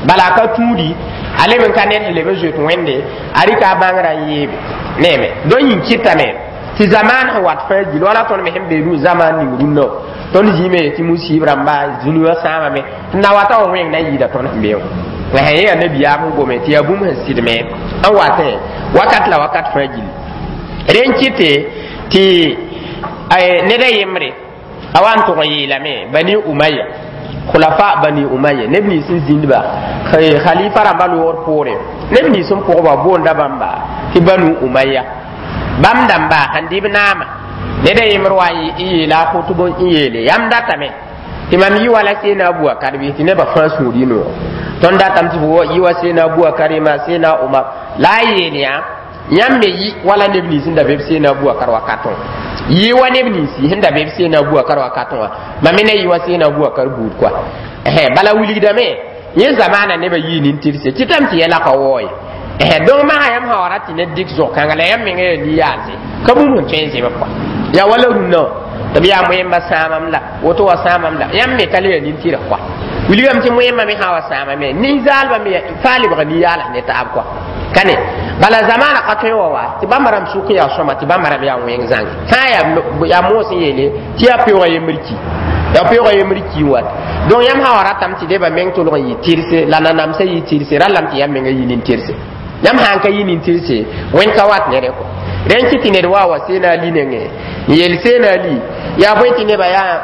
bala a ka tũudi a leb n ka ned sẽn leb n zoet Wẽnde a rɩka a bãngrã n yeebe neeme donc yĩn kɩtame tɩ zamaan sẽn wat fãa gill wala tõnd me sẽn be rũ zamaan ning rũndã wã tõnd zĩime tɩ musiib rãmba zũnugã sãamame tɩ na wata wã wẽng na n yɩɩda tõnd sẽn be wã la sẽn yaa nabiyaam sẽn gome tɩ yaa bũmb sẽn sɩdme n watẽ wakat la wakat fãa gill rẽn kɩte tɩ ned a yembre a wa n tʋg n yeelame Bani Umaya khulafa Bani Umaya neb nins n zĩndba khalifa rãmba loogr poore neb nins n pʋgba boonda bãmba tɩ Banu Umaya bãmb dãmba sẽn dɩ b naama ned a yembr wa n yeela a khutb n yeele yãmb datame tɩ mam yɩ wala Seena Abubakar bɩ tɩ nebã fãa sũur yɩ noog tõnd datame tɩ fo yɩ wa Seena Abubakar ma Seena Omar la a yeel yã yãmb me yɩ wala neb nins n da be b Seena Abubakar wakatõ Yɩ wa neb ninsi sẽn da be b Seena Abubakar wakatẽ wã, mam me na yɩ wa Seena Abubakar buud kɔa. Bala wilgdame yẽ zamaana nebã yii nin-tɩrse tɩtame tɩ yɛla ka wao ye. Donc maga yãmb sã wa rat tɩ ned dɩk zog-kãnga la yãmb menga yaa ni-yaalse ka bũmb sẽn tõe n zẽb kɔa. Yaa wala rũnnã wã tɩ b yaa moẽmba sãamam la woto wa sãamam la yãmb me ka le yaa nin-tɩrg kɔa. Wilgame tɩ moẽmbã me sã wa sãamame nin-zaalbã me faa lebga ni-yaals ne taab kɔa. Ka ne bala zamaana ka tõe wa wa tɩ bãmba rãmb sʋk yaa sõma tɩ bãmba rãmb yaa wẽng zãnge fãa yaa moos n yeele tɩ yaa peoogã yembr ki, yaa peoogã yembr ki n wat. Donc yãmb sã wa ratame tɩ nebã meng tʋlg n yɩ tɩrse la nanamsã yɩ tɩrse, rallame tɩ yãmb menga yɩ nin-tɩrse. Yãmb sã n ka yɩ nin-tɩrse wẽnd ka wat ne rẽ kɔ. Rẽn kɩ tɩ ned wa wa Seena Ali nengẽ n yeel Seena Ali yaa bõe tɩ nebã yaa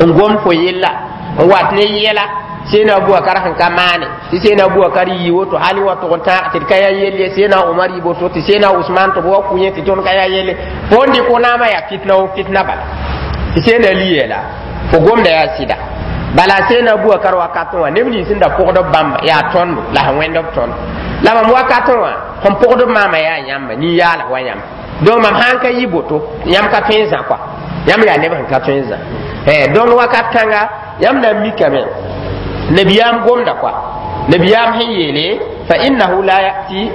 n gomd fo yella n wat ne yɛla Seena Abubakar sẽn ka maane tɩ Seena Abubakar yɩ woto hali wa tʋg n tãag tɩ d ka yaa yelle, Seena Omar yɩ boto tɩ Seena Usman tɩ b wa kʋ yẽ tɩ tõnd ka yaa yelle fo n dɩk naamã yaa fitna wo fitna bala tɩ Seena Ali yeela fo gomda yaa sɩda. Bala Seena Abubakar wakatẽ wã neb nins sẽn da pʋgd b bãmba yaa tõndo la sẽn wẽnd b tõnd la mam wakatẽ wã sẽn pʋgd b maama yaa yãmba nin-yaals wa yãmb. Donc mam sãn ka yɩ boto yãmb ka tõe n zã kɔa, yãmb yaa neb sẽn ka tõe n zã. Donc wakat kãnga yãmb na n mikame nabiyaam gomda kɔa, nabiyaam sẽn yeele fa innahu la yati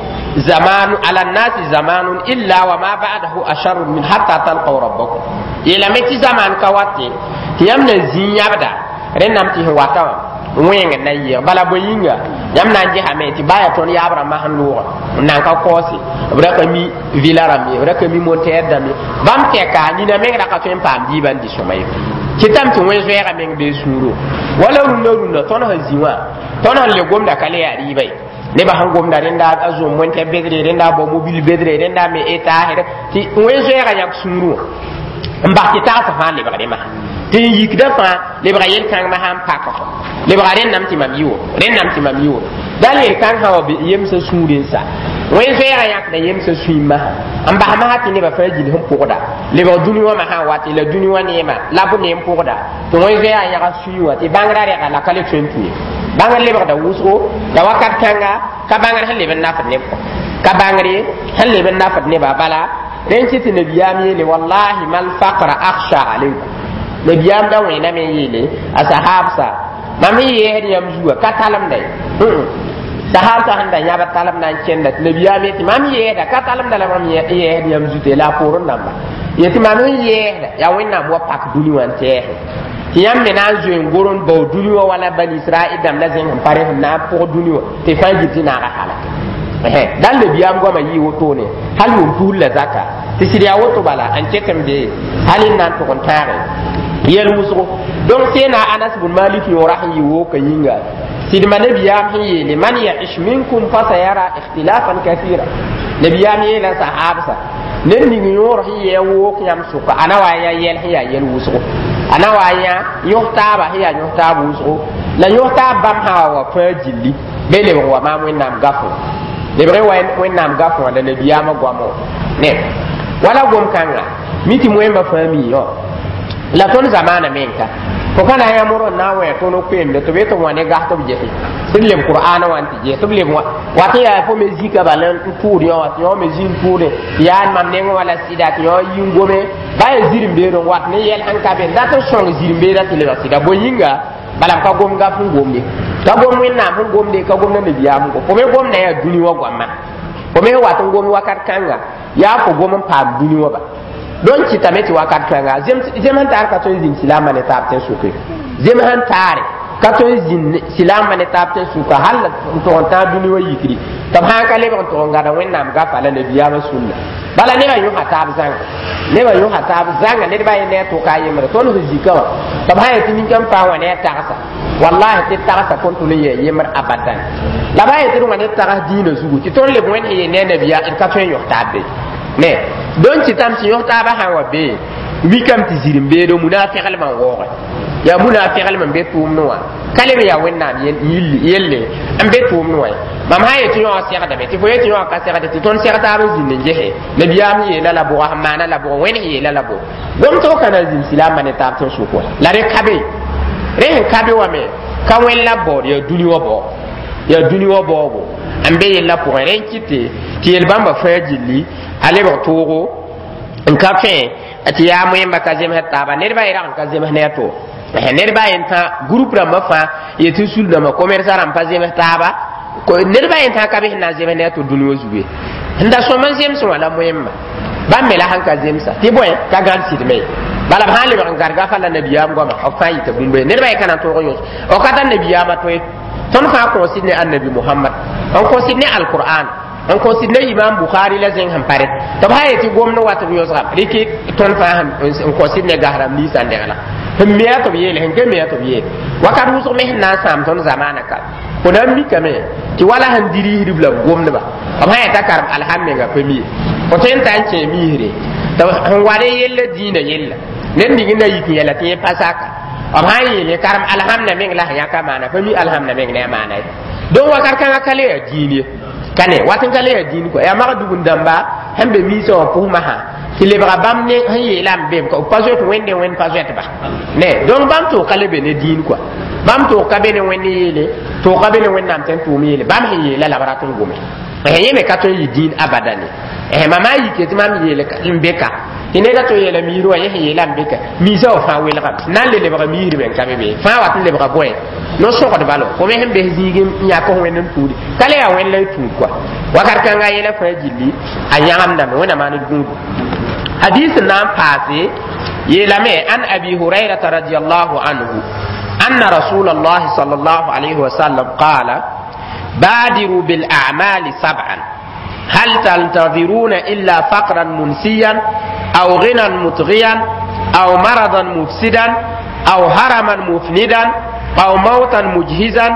zamanu ala nnasi zamanun illa wa ma ba'dahu asharun min hatta talqaw rabbakum. Yeelame tɩ zaman ka wate tɩ yãmb na zĩ yãbda rẽnnam tɩ sẽn wata wã wẽng n na n yɩɩg. Bala bõe yĩnga yãmb na n gesame tɩ baa yaa tõnd yaab rãmbã sẽn loogã n nan ka kaoose b ra ka mi vila rãmb ye, b ra ka mi montɛɛr dãmb ye, bãmb tɛka nina meng ra ka tõe n paam diibã n dɩ sõma ye. Kɩtame tɩ wẽn zoɛɛga meng bee sũuro wala rũndã rũndã tõnd sẽn zĩ wã tõnd sẽn le gomda ka le yaa rɩɩba ye. Nebã sẽn gomda rẽnda a zom wẽntɛ bedre, rẽnda a bao mobile bedre, rẽnda me étage tɩ wẽn zoɛɛga yãk sũurẽ wã n bas tɩ tagsã fãa lebgre masã tɩ n yikda fãa lebga yel-kãng masã n pak fo lebga rẽnnam tɩ mam yɩ woto, rẽnnam tɩ mam yɩ woto dal yel-kãng sã wa yemsã sũurẽ n sa wẽn zoɛɛga yãkda yemsã sũy masã n bas masã tɩ nebã fãa gill sẽn pʋgda lebg dũni wã masã wa tɩ la dũni wã neema la b ne n pʋgda tɩ wẽn zoɛɛga yãga sũy wã tɩ bãngrã rɛga la ka le tõe n tũ ye. Bãngr lebgda wʋsgo la wakat kãnga ka bãngr sẽn leb n nafd neb kɔ, ka bãngre sẽn leb n nafd nebã. Bala rẽn kɩ tɩ nabiyaam yeele wallahi mal faqra akhsha alaykum. Nabiyaam da wẽname n yeele a sahabsa mam sẽn yeesd yãmb zuga ka talemda ye. Sahabsa sẽn da yãbd talem na n kẽnda tɩ nabiyaam yetɩ mam yeesda ka talemda la mam yeesd yãmb zute la a poorẽ dãmba yetɩ mam sẽn yeesda yaa Wẽnnaam wa pak dũni wã n tɛɛsẽ tɩ yãmb me na n zoe n gor n bao dũni wã wala Bani Israɛl dãmb la zẽng sẽn pa rẽ sẽn na n pʋg dũni wã tɩ fãa gil tɩ naaga halake. Dal nabiyaam goamã yɩ wotone hal yʋʋm tus la zaka tɩ sɩd yaa woto bala n ket n be hal n na n tʋg n tãage yɛl wʋsgo. Donc Seena Anas bn Malik yõora sẽn yɩ wooka yĩnga sɩdma nabiyaam sẽn yeele man yaish minkum fasayara ikhtilafan kathira. Nabiyaam yeela sahabsa ned ning yõor sẽn yɩ a wook yãmb sʋka a na wa n yã yɛl sẽn yaa yɛl wʋsgo, a na wa n yã yõs taaba sẽn yaa yõs taab wʋsgo la yõs taab bãmb sã wa wa fãa gilli be lebg wa maam Wẽnnaam gafo lebg wa Wẽnnaam gafo wã la nabiyaamã goamo ne wala gom-kãnga mi tɩ moẽmbã fãa mi yõ la tõnd zamaana menka fo ka na n yãmb n na n wẽ tõnd koeemde tɩ b tɩ wã ne gas tɩ b gese tɩ b leb Qur'aana wã n tɩ ges tɩ b leb wat n yaa fo me zika bala n tʋʋd yõ wã tɩ yõ me zĩ n tʋʋde tɩ yaa mam nengẽ wã la sɩda tɩ yõ yi n gome ba yaa zirẽ-beed n wat ne yɛl sẽn ka be dat n sõng zirẽ-beedã tɩ lebg sɩda bõe yĩnga bala b ka gom gaf sẽn gomde ka gom Wẽnnaam sẽn gomde ka gomda nabiyaam gom fo me gomda yaa dũni wã goamã fo me wat n gom wakat kãnga yaa fo gom n paam dũni wã ba. Donc kɩtame tɩ wakat kãnga zem sẽn tar ka tõe n zĩnd silaamã ne taab tẽ sʋke, zem sẽn taare ka tõe n zĩnd silaamã ne taab tẽ sʋka hal n tʋg n tãag dũni wã yikri tɩ b sãn ka lebg n tʋg n gãda Wẽnnaam gafa la nabiyaamã sũnna. Bala nebã yõsa taab zãnga, nebã yõsa taab zãnga ned ba yẽ ne a tʋka a yembre tõnd sẽn zika wã tɩ b sã yetɩ nin-kãn paam wã ne a tagsa wallahi tɩ tagsa kõn tʋl n yɛɛ yembr abadan la ba yetɩ d wã ne tags dĩinã zugu tɩ tõnd leb wẽnd sẽn yee ne a nabiya d ka tõe n yõs taab be ne. Donc tɩtame tɩ yõs taabã sã n wa bee mikame tɩ zirẽ-beedo munaafɛglmã n waooge yaa munaafɛglm n be tʋʋmdẽ wã ka leb yaa Wẽnnaam yelle n be tʋʋmdẽ wã ye. Mam sã n yetɩ yõ segdame tɩ fo yetɩ yõ ka segde tɩ tõnd seg taab n zĩnd n gese nabiyaam yeela la bʋga sẽn maana la bʋg wẽnd sẽn yeela la bʋg gom tɩ fo ka na n zĩnd silaamã ne taab tẽ sʋk wã la rẽ ka be rẽ sẽn ka be wã me ka wẽnd la baood yaa dũni wã bao yaa dũni wã baoogo n be yella pʋgẽ rẽ n kɩte tɩ yel bãmba fãa gilli a lebg toogo n ka fẽ Tɩ yaa moẽmba ka zemsd taaba, nedbã y rag n ka zems ne a to nedbã yen tã groupe rãmbã fãa yetɩ sul dãmbã commerçant rãmb pa zems taaba, nedbã yen tã ka be sẽn na n zems ne a to dũni wã zugu ye. Sẽn da sõm n zems wã la moẽmba bãmb me la sẽn ka zemsa tɩ bõe ka gãd sɩdme ye. Bala b sã n lebg n gãd gafa la nabiyaam goama, b fãa yita bũmb ye, nedbã ye ka na n tõog n yõs o ka tar nabiyaamã tõe. Tõnd fãa kõosid ne annabi Mohamad, n kõsid ne alqur'an, n kõsid ne imam Bukhari la zẽng sẽn pare tɩ b sã yetɩ gomd wat b yõsga rɩkɩ. Tõnd fãa n kõsid ne gas rãmb ninsã n degla sẽn mea tɩ b yeele, sẽn ke mea tɩ b yeel wakat wʋsg me sẽn na n sãam tõnd zamaana ka. Fo na n mikame tɩ wala sẽn diriisdb la b gomdba, b sã yeta karem alham menga pa mi fo tõe n ta n kẽ miisre tɩ sẽn wa ne yella dĩinã yella ned ning n na yik n yɛla tɩ yẽ pa saka. B sã n yeele karem alhamda meng la sẽn yãka maana pa mi alhamda meng ne a maana ye. Donc wakat kãngã ka le yaa dĩin ye, ka ne wat n ka le yaa dĩin kɔa yaa magdugn dãmba sẽn be miisã wã pʋsmã sã tɩ lebga bãmb ne sẽn yeelame be b pa zoet wẽnde, wẽnd pa zoetba ne. Donc bãmb tʋʋg ka le be ne dĩin kɔa, bãmb tʋʋg ka be ne wẽnd yeele, tʋʋg ka be ne wẽnnaam tɩ n tʋʋm yeele. Bãmb sẽn yeela la b rat n gome yẽ me ka tõe n yɩ dĩin abadan ye. Mama yike tɩ mam yeele n be ka tɩ neda tõe yeela miir wã yẽ sẽn yeela n be ka miisã wã fãa welgame na n le lebga miisr me n ka be be fãa wat n lebga bõe no-sõgdba lo fo me sẽn bes zĩig n yãk wẽnd n tũudi ka le yaa wẽnd la y tũud kɔa. Wakat kãnga yɛla fãa gilli a yãgemdame wẽnna maan d gũudu. Hadis n na n paase yeelame an Abi Hurairata radiallahu anhu anna rasul allah صلى الله عليه وسلم قال: بادروا بالأعمال سبعا، هل تنتظرون إلا فقرا منسيا أو غنى مطغيا أو مرضا مفسدا أو هرما مفندا أو موتا مجهزا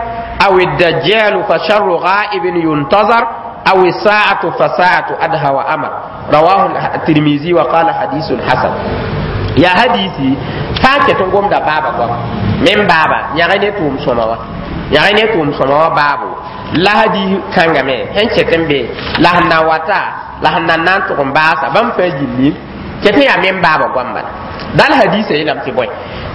أو الدجال فشر غائب ينتظر أو الساعة فساعة أدهى وأمر. رواه الترمذي وقال حديث حسن. يا حديثي فاكة قوم دا بابا قوم من بابا يغني توم سموا يغني توم سموا بابو la hadis kãnga me sẽn ket n be la sẽn na wata la sẽn na n na n tʋg n baasa bãmb fãa gilli ket n yaa men baaba goam bala dal hadisa yeelame tɩ bõe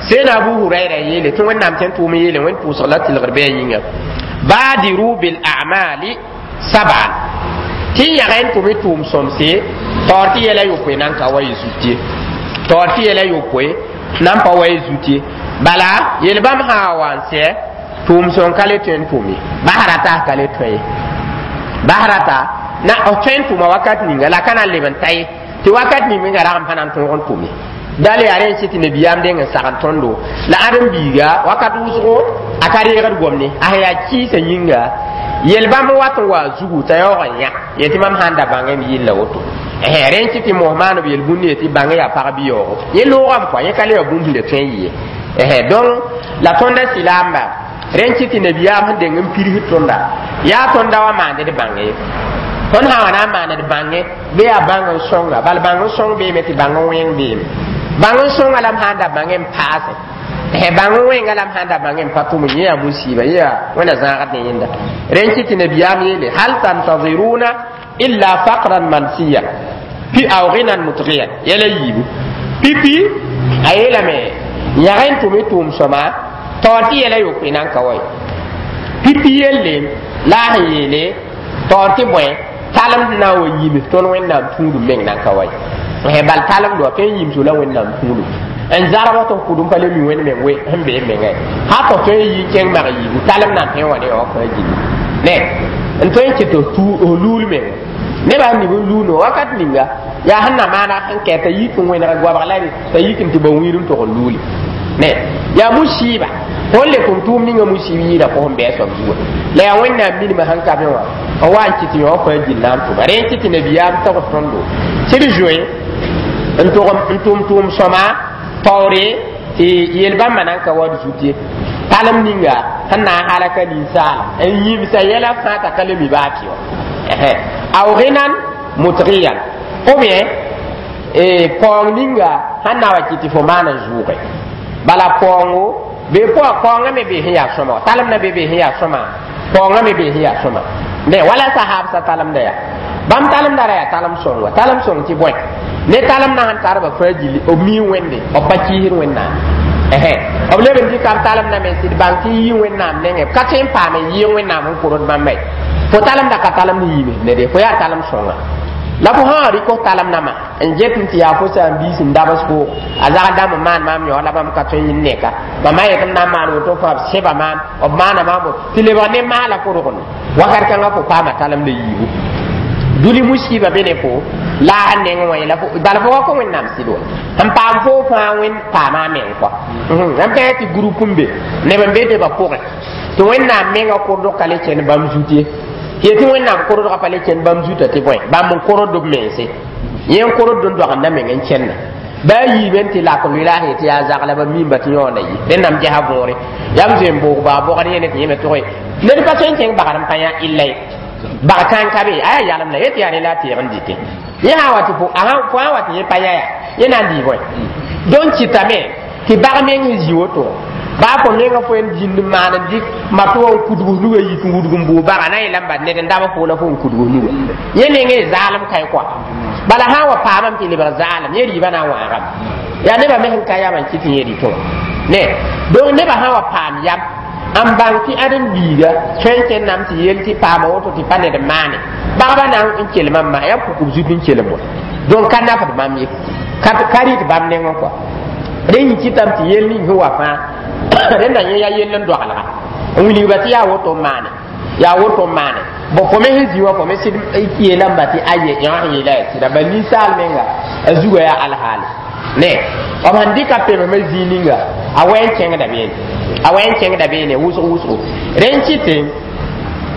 sẽn Abu Huraira yeele tɩ wẽnnaam tɩ n tʋʋm yeele wẽnd pʋʋsg la tɩlgr bɩ a yĩnga badiru bil a'mali sab'an tɩ yãg n tʋm y tʋʋm sõmse taoor tɩ yɛla yopoe nan ka wa y zut ye, taoor tɩ yɛla yopoe nan pa wa y zut ye. Bala yel bãmb sã wa n sɛ tʋʋm sõn ka le tõe n tʋm ye, basrata ka le tõe ye, basrata na tõe n tʋma wakat ninga la ka na n leb n ta ye tɩ wakat ning menga rag n pa na n tõog n tʋm ye. Dal yaa rẽ n sɩ tɩ nabiyaam deng n sagn tõndo la ãdem-biiga wakat wʋsgo a ka reegd gomne a sẽn yaa kɩɩsã yĩnga yel bãmb wat n wa zugu t'a yaoog n yã yetɩ mam sãn da bãngem yilla woto rẽ n kɩ tɩ mos maan b yel-bũnd yetɩ bãng yaa pag bɩ yaoogo yẽ loogame kɔa yẽ ka le ya bũmb sẽn le tõe n yɩ ye. Donc la tõnda sɩlaamba rẽ n kɩ tɩ nabiyaam sẽn deng n pirsd tõnda yaa tõnda wa maand d bãnge ye. Tõnd sã wa na n maan d bãnge bɩ yaa bãng n sõnga bal bãng n sõng beeme tɩ bãng n wẽng beeme bãng n sõnga la m sã n da bãng n paase bãng n wẽnga la m sã n da bãng n pa tʋm yẽ yaa musiba yẽ yaa wẽnna zãagd ne yẽnda. Rẽ n kɩ tɩ nabiyaam yeele hal tantaziruna illa faqran mansiya pi aw ghinan mutghiyan yɛla yiibu pipi a yeelame yãg n tʋm y tʋʋm sõma taoor tɩ yɛla yopoe nan ka wa ye pipi yelle la a sẽn yeele taoor tɩ bõe talem na n wa yims tõnd wẽnnaam tũudum meng nan ka wa ye. Bal talemd wa tõe n yimso la wẽnnaam tũudum n zarb tɩ f kʋdem pa le mi wẽnd meng we sẽn bee mengã ha tɩ tõe n yi kẽng mag yiibu talem na n tõe n wa ne wã fãa gilli ne n tõe n kɩ tɩ f luul menga nebã n nib n luuno wakat ninga yaa sẽn na maana sẽn kɛ t'a yik n wẽneg goabg la t'a yik n tɩ ba wĩir n tog n luuli ne yaa musiiba fo n le tʋm tʋʋm ninga musiib yɩɩda fo sẽn bɩ a soab zuga la yaa wẽnnaam minimã sẽn ka be wã n wa n kɩ tɩ yõ fãa gill na n tʋma. Rẽ n kɩ tɩ nabiyaam tgs tõndo tɩ d zoe n tʋm tʋʋm sõma taoore tɩ yel-bãmbã nan ka wa d zut ye talem ninga sẽn na n halaka ninsaala n yĩmsa yɛla fãa t'a ka le mi baa tɩ wã aw ghinan mutghiyan ou bien paoong ninga sẽn na wa kɩ tɩ fo maan n zʋʋge bala paoongo bee paoongã me bee sẽn yaa sõma talem na be bee sẽn yaa sõma paoongã me bee sẽn yaa sõma ne wala sahaabsã talemda yaa bãmb talemda ra yaa talem sõng wa talem sõng tɩ bõe ne talem na sẽn tarba fãa gilli b mii wẽnde b pa kiisd wẽnnaam b leb n dɩka b talem na me sɩd bãng tɩ yɩ wẽnnaam nengẽ b ka tõe n paam n yɩɩg wẽnnaam n kord bãmba ye. Fo talemda ka talem n yiimsd ne de fo yaa talem sõnga. La fo sã n rɩk f talem nãmã n get n tɩ yaa fo saam-biis n dabs fo a zagl dãmb n maan maam yao la bãmb ka tõe n yĩn neka bãmba yet m na n maan woto fãa b sẽba maam b maana maam tɩ lebg ne maala fo rogend wakat kãngã fo paama talem la yiibu dũni musiba be ne fo la a neng wã la bala fo wa kõ wẽnnaam sɩd wa n paam fo fãa wẽn paama a meng kɔa n pẽ tɩ group n be neb n be tɩ ba pʋgẽ tɩ wẽnnaam menga kordg ka le kẽnd bãmb zut ye yetɩ wẽnnaam kordgã pa le kẽnd bãmb zutã tɩ bõe bãmb n kord b mense yẽ n kord n doagendã meng n kẽnda baa yiime n tɩ lak n la tɩ yaa zagla ba mimba tɩ yõoda yi rẽndame gesa võore yaa m zoe n boog baa bogd yẽne tɩ yẽme tʋge ned pa tõe n kẽng bagd n pa yã illa ye bag kãng ka be a yaa yalem la yetɩ yaa ne la a teeg n dɩte yẽ sã wa tɩ fo sã wa tɩ yẽ pa yã yaa yẽ na n dɩ bõe donc kɩtame tɩ bag meng sẽn zĩ woto baa fo menga fo n dĩnd n maan n dɩk mat wa n kudg nuga yik n wudg n bʋʋ baga na yeelame bad ned n dab fo la fo n kudg nuga yẽ meng y zaalem kae kɔa bala sã n wa paamame tɩ lebg zaalem yẽ rɩɩbã na n wãagame yaa nebã me sẽn ka yam n kɩt tɩ yẽ rɩtẽ wã ne donc nebã sã wa paam yam n bãng tɩ ãdem-biiga tõe n kẽndame tɩ yel tɩ paama woto tɩ pa ned n maane bagba na n kelmã n maa yaa pukb zut n kelem wa donc ka nafd bãmb ye ka rɩt bãmb nengẽ kɔa rẽ yĩ kɩtame tɩ yel ning sẽn wa fãa rẽnda yẽ yaa yell n doagelga n wilgba tɩ yaa woto n maane yaa woto n maane bon fo me sẽn zĩ wã fo me sɩd yeelame tɩ aye yã sẽn yeela yaa sɩda bal ninsaal menga a zugã yaa alhaale ne b sẽn dɩka pemsmã zĩig ninga a wɛ n kẽngda beene a wɛ n kẽngda beene wʋsg wʋsgo rẽ n kɩtẽ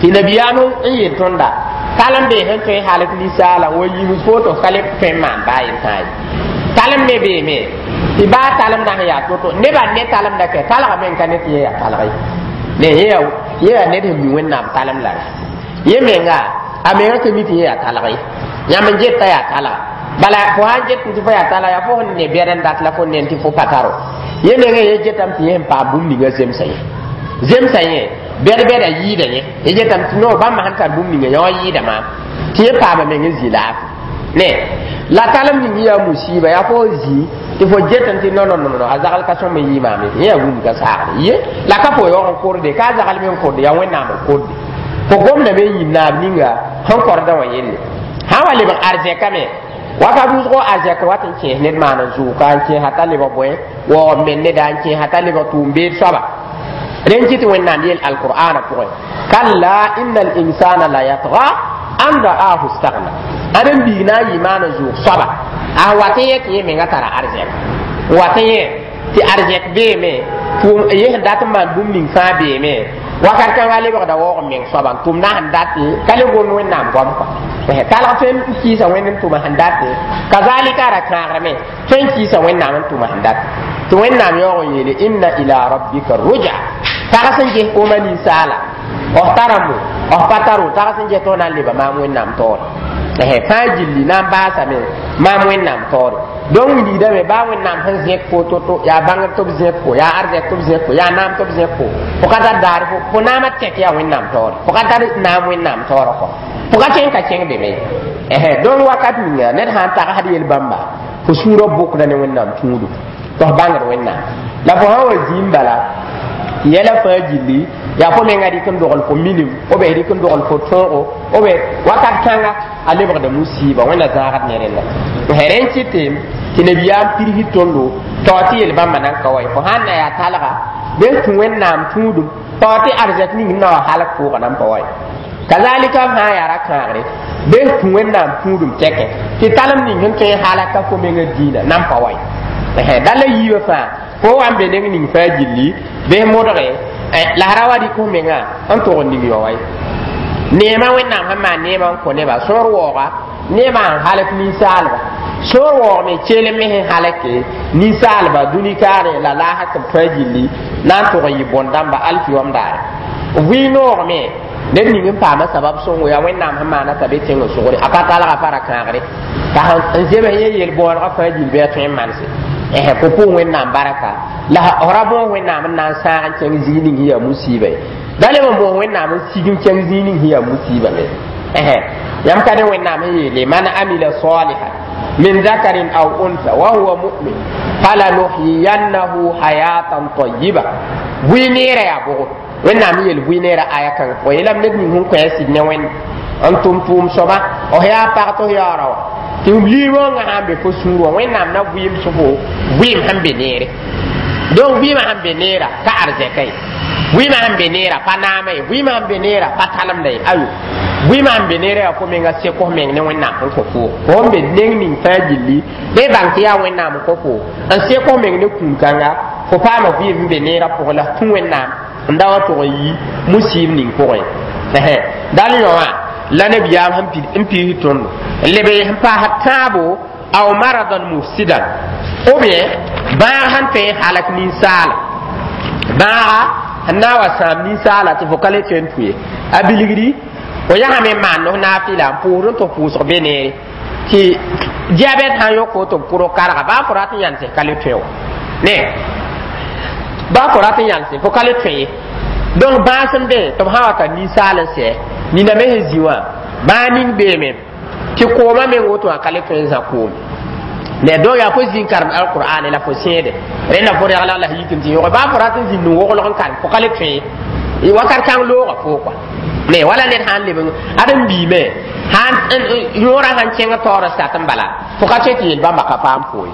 tɩ nabiyaam n yel tõnda talem bee sẽn tõe halk ninsaala wa yims foto ka le tõe n maan baa yel tãa ye talem me beeme tɩ baa talemdã sẽn yaa to-to nebã ne talemda kɛ talgame n ka ne tɩ yẽ yaa talg ye ne yẽ yaa ned sẽn mi wẽnnaam talem la yẽ menga a menga ka mi tɩ yẽ yaa talg ye yãmb n geta yaa talga bala fo sãn get tɩ fo yaa talga yaa fo sẽn ne bɛd n dat la fo nen tɩ fo pa taro yẽ menga yẽ getame tɩ yẽ sẽn paam bũmb ninga zemsã yẽ zemsã yẽ bɛd bɛda yɩɩda yẽ yẽ getame tɩ no bãmb sẽn tar bũmb ninga yã wã yɩɩda maam tɩ yẽ paama meng n zĩ laafɩ ne la talem ning yaa musiba yaa fo zĩ tɩ fo get n tɩ non non non a zagl ka sõm n yɩ maam ye yẽ yaa wũmb ka saagde ye la ka fo yaoog n korde ka a zagl me n korde yaa wẽnnaam n korde fo gomdame n yĩm naab ninga sẽn kordã wã yelle sã wa lebg arzɛka me wakat wʋsgo arzɛk wat n kẽes ned maan n zʋʋka n kẽesa t'a lebg bõe waoog men neda n kẽesa t'a lebg tʋʋm-beed soaba rẽn kɩ tɩ wẽnnaam yeel alqur'ana pʋgẽ kalla inna linsana la yatga an ra'ahu stagna ãdem biig na n yɩ maan n zʋʋg soaba a wat n yẽ tɩ yẽ menga tara arzɛk wat n yẽ tɩ arzɛk beeme yẽ sẽn dat n maan bũmb ning fãa beeme wakat kãngã lebgda waoog n meng soaba n tʋmdã sẽn date ka le gom wẽnnaam goam kɔa talg tõe n kɩɩsa wẽnd n tʋma sẽn date kazalika ra kãagrame tõe n kɩɩsa wẽnnaam n tʋma sẽn date tɩ wẽnnaam yaoog n yeele inna ila rabbika ruja tags n ges koomã ninsaala f taramo f pa taro tags n ges tɩ f na n leba maam wẽnnaam taoore fãa gilli na n baasame maam wẽnnaam taoore donc wilgdame baa wẽnnaam sẽn zẽk fo to-to yaa bãngr tɩ b zẽk fo yaa arzɛk tɩ b zẽk fo yaa naam tɩ b zẽk fo fo ka tar daar fo fo naamã tɛk yaa wẽnnaam taoore fo ka tar naam wẽnnaam taoorã kɔ fo ka tõe n ka kẽng be me donc wakat ninga ned sã n tagsd yel-bãmba fo sũurã bʋkda ne wẽnnaam tũudu tɩ f bãngd wẽnnaam la fo sã wa zĩim bala yɛla fãa gilli yaa fo menga rɩk n dogl fo minim b rɩk n dogl fo tõogo b wakat kãnga a lebgda musiiba wẽnna zãagd ne rẽnda rẽ n kɩte tɩ nabiyaam pirsd tõndo tao tɩ yel-bãmba nan ka wa ye fo sãn na yaa talga bɩ tũ wẽnnaam tũudum tao tɩ arzɛk ning n na wa halk pʋʋga nan pa wa ye kazalika f sã n yaa ra-kãagre bɩ tũ wẽnnaam tũudum tɛkɛ tɩ talem ning sẽn tõe n halaka fo menga dĩinã nan pa wa ye dala yiibã fãa fo wa n be neng ning fãa gilli bɩ modge la ra wa rɩk f menga n tʋg n ning yao wa ye neemã wẽnnaam sẽn maan neemã n kõ neba sõor waooga neemã n halk ninsaalba sõor waoog me kelem me sẽn halke ninsaalba dũni kaare la laasã tɩ b tõe gilli na n tʋg n yɩ bõn-dãmba alkiyom daare vɩ-noog me ned ning n paama sabab sõngo yaa wẽnnaam sẽn maana t'a be tẽng sogre a pa talga pa ra kãagre t'a n zems yẽ yel-bõonegã fãa gill bɩ a tõe n manse fo pʋʋs wẽnnaam baraka la f ra bõos wẽnnaam n na n sãag n kẽng zĩig ning sẽn yaa musiiba ye da leb n bõos wẽnnaam n sig n kẽng zĩig ning sẽn yaa musiiba me yãmb ka ne wẽnnaam sẽn yeele man amila salihan min zakarin aw unsa wa huwa mu'min falanuhyiyannahu hayatan tayyiba bʋɩ neerã yaa bʋgo wẽnnaam yeel bʋɩ neerã aya kãngã fo yeelame ned ning sẽn kõ a sɩd ne wẽnd n tʋm tʋʋm soaba f yaa pag tɩ f yaoora wa tɩ liir-rõngã sã n be fo sũur wã wẽnnaam na vɩɩm sẽfo vɩɩm sẽn be neere donc vɩɩmã sẽn be neera ka arzɛka ye vɩɩmã sẽn be neera pa naama ye vɩɩmã sẽn be neera pa talemda ye ayo vɩɩmã sẽn be neera yaa fo menga sek f meng ne wẽnnaam sẽn kõ fo fo n be neng ning fãa gilli bɩ bãng tɩ yaa wẽnnaam n kõ fo n sek f meng ne kũun-kãnga fo paama vɩɩm sẽn be neerã pʋgẽ la tũ wẽnnaam n da wa tʋg n yi musiib ning pʋgẽ dal yõ wã la nabiyaam sẽn piis tõndo n leb n paas tãabo aw maradan mufsidan ou bien bãag sẽn tõe n halak ninsaala bãaga sẽn na n wa sãam ninsaala tɩ fo ka le tõe n tũ ye a bilgdi fo yãsame n maan f naafɩla n pʋʋsd n tɩ f pʋʋsg be neere tɩ diabɛt sã n yõk fo tɩ b kʋrg karga baa fo rat n yãlsẽ ka le tõe wa ne baa fo rat n yãlsẽ fo ka le tõe ye donc bãas n be tɩ b sã wa ka ninsaal n sɛ nina me sẽn zĩ wã bãa ning beeme tɩ koomã meng woto wã ka le tõe n zã koome ne donc yaa fo zĩ n karem alqur'ane la fo sẽede rẽnda fo reglg la yik n tɩ yõge baa fo rat n zĩnd n woglg n karem fo ka le tõe ye wakat kãng looga fo kɔa ne wala ned sã n leb ad n biime yõorã sãn kẽng taoor sat n bala fo ka tõe tɩ yel bãmba ka paam foo ye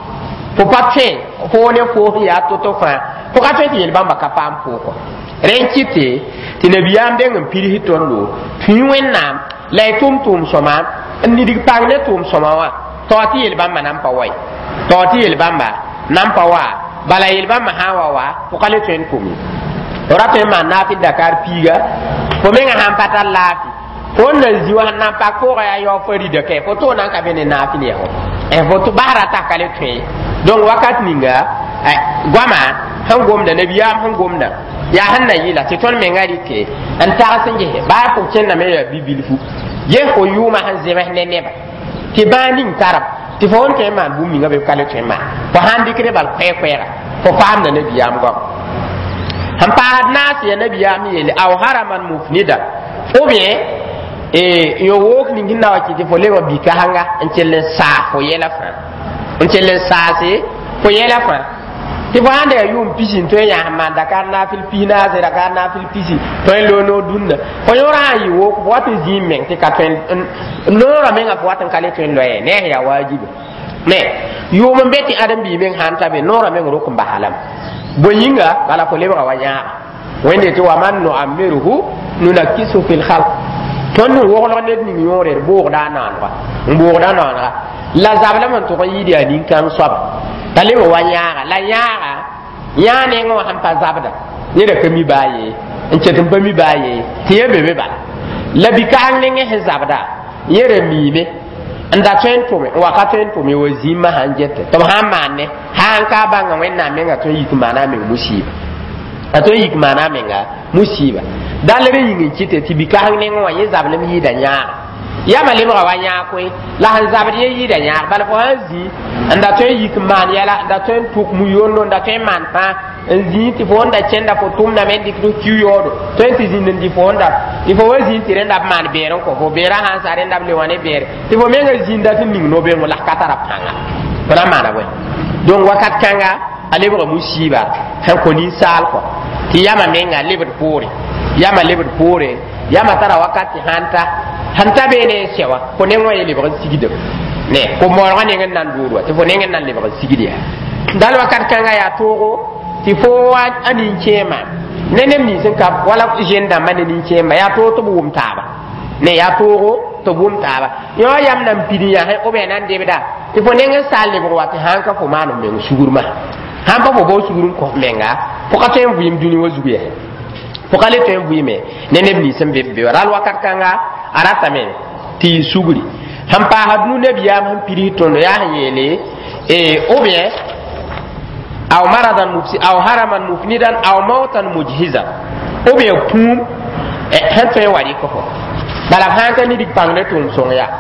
fo pa tõe foo ne foo sẽn yaa to-to fãa fo ka tõe tɩ yel bãmba ka paam foo kɔa rẽ n kɩte tɩ nabiyaam deng n pids tõndo tũ wẽnnaam la y tʋm tʋʋm sõma n nidg pang ne tʋʋm sõma wã tao tɩ yel bãmba nan pa wa ye tao tɩ yel bãmba nan pa wa bala yel bãmba sã n wa wa fo ka le tõe n tʋm ye fo ra tõe n maan naafɩ dakar piiga fo menga sãn pa tar laafɩ fo n na zĩ wa sẽn na n pak pʋʋga yaa yao fo rida kɛ fo tʋg na n ka be ne naafɩl yaa fo fo basra t'a ka le tõe ye donc wakat ninga goama sẽn gomda nabiyaam sẽn gomda yaa sẽn na yɩla tɩ tõnd menga rɩke n tags n gese baa fo kẽndame yaa bi-bilfu ges fo yʋʋmã sẽn zems ne neba tɩ bãag ning tarb tɩ fo n tõe n maan bũmb ninga be ka le tõe n maan fo sãn dɩkd bal koɛɛ-koɛɛga fo paamda nabiyaam goam sẽn paasd naas ya nabiyaam yeele aw haraman mufnida ou bien yo wook ning sẽn na wa kɩ tɩ fo lebg bi-kasanga n kell n saas fo yɛla fãa n kell n saase fo yɛla fãa tɩ fo sãn da yaa yʋʋm pisi n tõe n yãas n maan dakar naafɩl pis naase dakar naafɩl pisi tõe n loog noor dũnna fo yõorã sã n yɩ wook fo wat n zĩig meng tɩ ka tõe noorã menga fo wat n ka le tõe n loɛɛ ne a yaa waajiba ne yʋʋm n be tɩ ãdem-biig meng sãn ta be noorã meng rok n basa lame bõe yĩnga bala fo lebga wa yãaga wẽnde tɩ wa man nuammirhu nunakkisu fi lhalq tõnd n woglg ned ning yõore d boogda a naanega n boogda naanega la zablame n tʋg n yɩɩd yaa nin-kãng soaba t'a leb wa yãaga la yãaga yãa nengẽ wã sẽn pa zabda neda ka mi baa ye n ket n pa mi baa ye tɩ yẽ be be bala la bi-kaang nengẽ sẽn zabda yẽ ra miime n da tõe n tʋme n wa ka tõe n tʋme wa zĩmã sãn gete tɩ b sãn maan ne sã n ka bãnga wẽnnaam menga tõe n yik n maana a meng musiiba a tõe n yik maana a menga musiiba dall rẽ yĩng n kɩte tɩ bi-kaang nengẽ wã yẽ zablem yɩɩda yãaga yama lebga wa yãag koe la sẽn zabd yẽ yɩɩda yãag bala fo sãn zĩ n da tõe n yik n maan yɛla n da tõe n tʋk mu-yondo n da tõe n maan fãa n zĩig tɩ fo n da kẽnda fo tʋmdame n dɩk tɩ kiu yaoodo tõe n tɩ zĩnd n dɩ fo n da tɩ fo wa zĩig tɩ rẽnda b maan beer n kõ fo beerã sãn sa rẽnda b le wã ne beere tɩ fo menga zĩnda tɩ ning no-bengo la ka tara pãnga fo na n maana bõe donc wakat kãnga a lebga musiiba sẽn kõ ninsaal kɔ tɩ yama menga lebd poore yama lebd poore yama tara wakat tɩ sãn ta sẽn ta beene n sɛ wã fo neng wã ye lebg n sigdem ne fo maoolgã neng n na n dood wa tɩ fo neng n na n lebg n sigd yaa dal wakat kãnga yaa toogo tɩ fo a nin-kẽema ne neb nins n ka wala zen dãmbã ne nin-kẽemba yaa toog tɩ b wʋm taaba ne yaa toogo tɩ b wʋm taaba yõ yam nan pid n yãsẽ b na n debda tɩ fo neng n saal lebg wa tɩ sãn ka fo maan f meng sugr ma sãn pa fo bao sugr n kõ f menga fo ka tõe n vɩɩm dũni wã zug yaa fo ka le tõe n vɩɩme ne neb nins n be b be wa ral wakat kãnga a ratame tɩ yɩ sugri sẽn paasd nu nabiyaam sẽn pids tõndo yaa sẽn yeele ou bien aw maradan mufsi aw haraman mufnidan aw mautan mujhizan ou bien kũum sẽn tõe n wa rɩk fo bala b sãn ka nidg pãng ne tʋʋm sõng yaa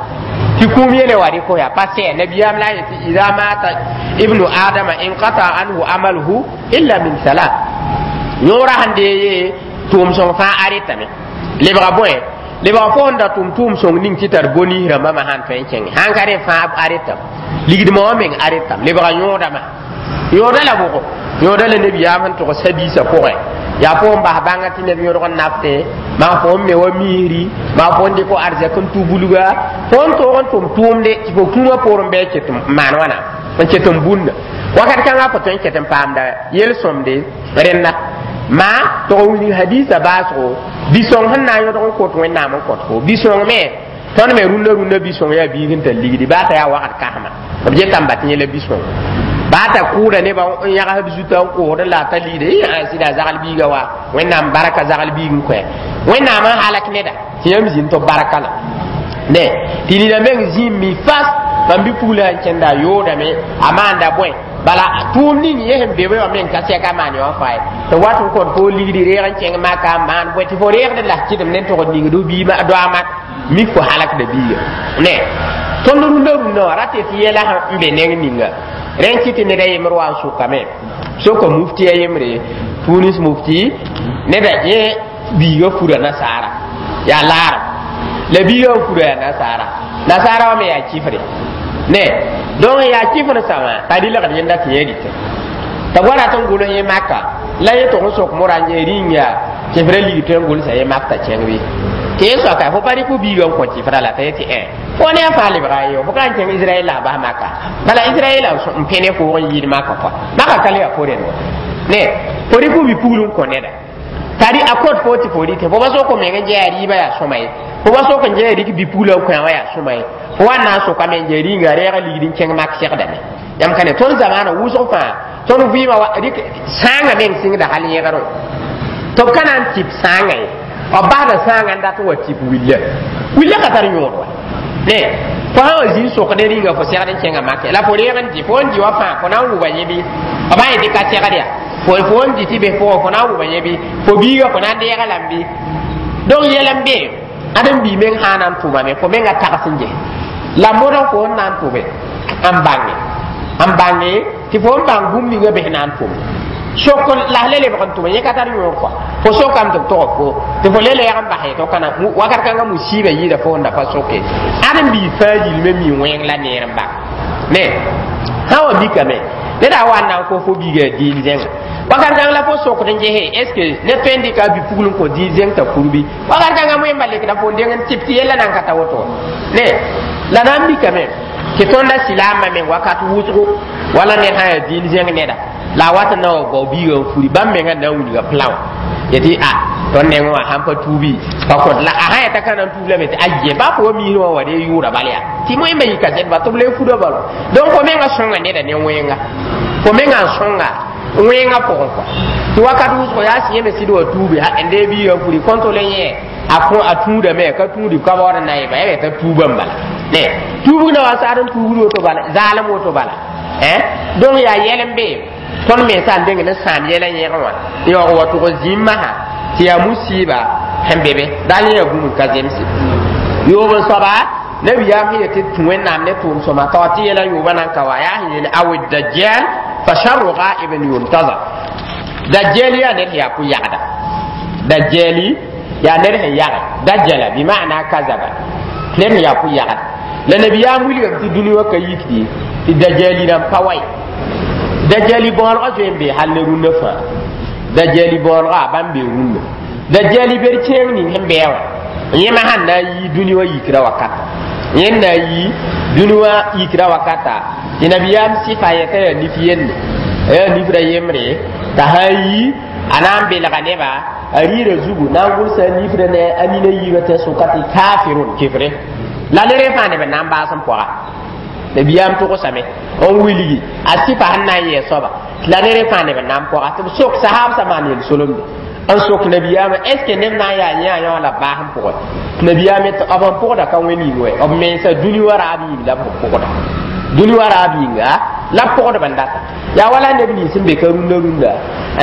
tɩ kũum yele wa rɩk yaa pa sɛ nabiyaam la a yetɩ ida mata ibnu adama inqata anhu amaluhu illa min salat yõorã sẽn dee ye tʋʋm sõng fãa arɩtame lebga bõe lebga fo n da tʋm tʋʋm sõng ning tɩ tar bonis rãmbã ma sãn tõe n kẽnge sãn ka rẽ fãa arɩtame ligdmã wã meng arɩtame lebga yõodame yõoda la bʋgo yõoda la nabiyaam sẽn tʋgs hadiisã pʋgẽ Yaa fo n bas bãnga tɩ neb yõdg n nafte, maa fo n me wa miisri, maa fo n dɩk fo arzɛk n tu bulga, fo n toog n tʋm tʋʋmde tɩ fo kũumã poorẽ bɩ ket n maan wãna n ket n bũnda wakat kãngã fo tõe n ket n paamda yel-sõmde rẽnda. Maa tog n wilg hadiisã baasgo bi-sõng sẽn na n yõdg n kot Wẽnnaam n kõt fo bi-sõng me. Tõnd me rũndã rũndã bi-sõng yaa biig n tar ligdi baa t'a yaa wakat kasma b getame ba tɩ yẽla bi-sõng baa t'a kʋʋda nebã n yagsd zuta n koosd la a ta ligde a sɩda zagl biiga wa Wẽnnaam barka zagl biig n koɛ Wẽnnaam n halak neda tɩ yãmb zĩnd tɩ b barka la ne tɩ nina meng zĩim mi fas mam bi-pugla sẽn kẽnda a yoodame a maanda bõe bala tʋʋm ning yẽ sẽn be wã meng ka sɛka maan yã wã faa ye tɩ wat n kõt fo ligdi reeg n kẽng maka n maan bõe tɩ fo reegd la kɩdem ne n tʋgd ningd biima doaama mik fo halakda biiga ne. Tõnd rũndã rũndã wã rate tɩ yɛla n be neng ninga rẽn kɩ tɩ ned a yembr wa n sʋkame soka mufti a yembre Tunis mufti neda yẽ biiga fura nasaara yaa laarem la biiga n fura yaa nasaara nasaara wã me yaa kifre ne. Donc yaa kifr sã wã t'a rɩlgd yẽnda tɩ yẽ rɩtẽ t'a wa rat n gʋls yẽ maka la yẽ tʋg n sok mora n yẽ rĩng yaa kifra lig tõe n gʋlsa yẽ mak t'a kẽng bɩ tɩ yẽ soaka fo pa rɩk fo biiga n kõ kifra la t'a yetɩ ẽ fo ne a fãa lebga ye fo ka n kẽng Israɛl la a bas maka bala Israɛl n pẽ ne foog n yɩɩd maka kɔa maka ka le yaa fo rẽnd ne fo rɩk fo bi-pugl n kõ neda tari a kõt fo tɩ fo rɩtẽ fo pa sok n meng n yaa rɩɩbã yaa sõma ye fo pa sok n yaa rɩk bi-pugla n kõ wã yaa sõma ye fo wa na n sokame n yaa rĩnga reega ligd n kẽng mak segdame yãmb ka ne tõnd zamaana wʋsg fãa tõnd vɩɩmã rɩk sãangã meng sɩngda hal yẽgerẽ tɩ b ka na n tɩp sãangã ye b basda sãangã n dat n wa tɩp willa willa ka tar yõod wa ne fo sã wa zĩ n sok ne rĩnga fo segd n kẽngã make la fo reeg n dɩ fo n dɩ wa fãa fo na n wʋba yẽ bɩ b sã yetɩ ka segd yaa fo fo n dɩ tɩ be pʋgẽ fo na n wʋba yẽ bɩ fo biiga fo na n deega lame bɩ donc yɛl n be ãdem-bii meng sã na n tʋmame fo menga tags n ges la modg fo n na n tʋbe n bãnge n bãnge tɩ fo n bãng bũmb ninga bes na n tʋm sok la le lebg n tʋme yẽ ka tar yõor kɔa fo sokame tɩ b tog fo tɩ fo le lɛɛg n bas tɩ kana wakat kãngã musiibã yɩɩda fo n da pa soke ãdem-bii fãa gilme mi wẽng la neer n bak ne sã wa mikame ned a wa n na n kos fo biiga diin zẽnga wakat kãng la fo sokd n gese est ce que ned tõe n dɩka a bi-pugl n kõ diin zẽng t'a kurbi wakat kãngã wẽmba lekda fo n deng n tɩp tɩ yella nan ka ta woto ne la na n mikame tɩ tõnda silaamã meng wakat wʋsgo wala ned sã yaa diin zẽng neda la a wat n na wa bao biiga n furi bãmb mengã na n wilga pla wã yetɩ a tõnd nengẽ wã sãn pa tuubi pa kõt la a sã yeta ka na n tuub lame tɩ aye baa fo wa miisr wã wa dee yʋʋra bal yaa tɩ moẽmba yɩ kasɛt ba tɩ b le fura balo donc fo mengã sõnga neda ne wẽnga fo mengã n sõnga wẽngã pʋgẽ kɔa tɩ wakat wʋsgo yaa sẽn yẽme sɩd wa tuubi n dee biiga n furi kõntole yẽ a kõ a tũudame ka tũudi ka baood n na yɩba ya t'a tuubã n bala ne tuubg na wa sagd n tuubd woto bala zaalem woto bala donc yaa yɛl n be tõnd mensã n deng ne sãam yɛla yẽgẽ wã yaoog wa tʋg zĩim masã tɩ yaa musiiba sẽn be be dal yẽ yaa bũmb n ka zemse yoob n soaba nabiyaam sẽn yetɩ tũ Wẽnnaam ne tʋʋm sõma t'a wa tɩ yɛla yoobã nan ka wa yaa sẽn yeel awi dajjal fa sharru ghaibin yuntazar dajjal yaa ned sẽn yaa pʋ-yagda dajjali yaa ned sẽn yage dajjala bima'na kazaba ned sẽn yaa pʋ-yagda la nabiyaam wilgame tɩ dũni wã ka yikdi tɩ dajjali rãmb pa wa ye dajjali bõolgã zoe n be hal ne rũndã fãa dajjali bõolgã bãmb bee rũndã dajjali ber kẽeng ning sẽn bɩa wã yẽma sãn na n yi dũni wã yikra wakata yẽ na n yi dũni wã yikra wakata tɩ nabiyaam sɩfa yɛta yaa nif yende yaa nifra yembre t'a sã n yi a na n belga neba a rɩɩra zugu na n gʋlsa a nifra ne a nina yiibã tɩ sʋka tɩ kafirun kefre la ne rẽ fãa neb n na n baas n pɔga nabiyaam togsame n wilgi a sɩfa sẽn na n yɛɛ soaba la ne rẽ fãa neb n na n pɔga tɩ b sok sahaab maan yel solemde n sok nabiyaamã est ce que neb na n yaa yẽ a yã la baas n pʋgẽ tɩ nabiyaam tɩ b n pʋgda ka wẽn yĩng wɛ b mensa dũni wã raab yĩng la b pʋgda dũni wã raab yĩnga la b pʋgdb n data yaa wala neb nins sẽn be ka rũndã rũndã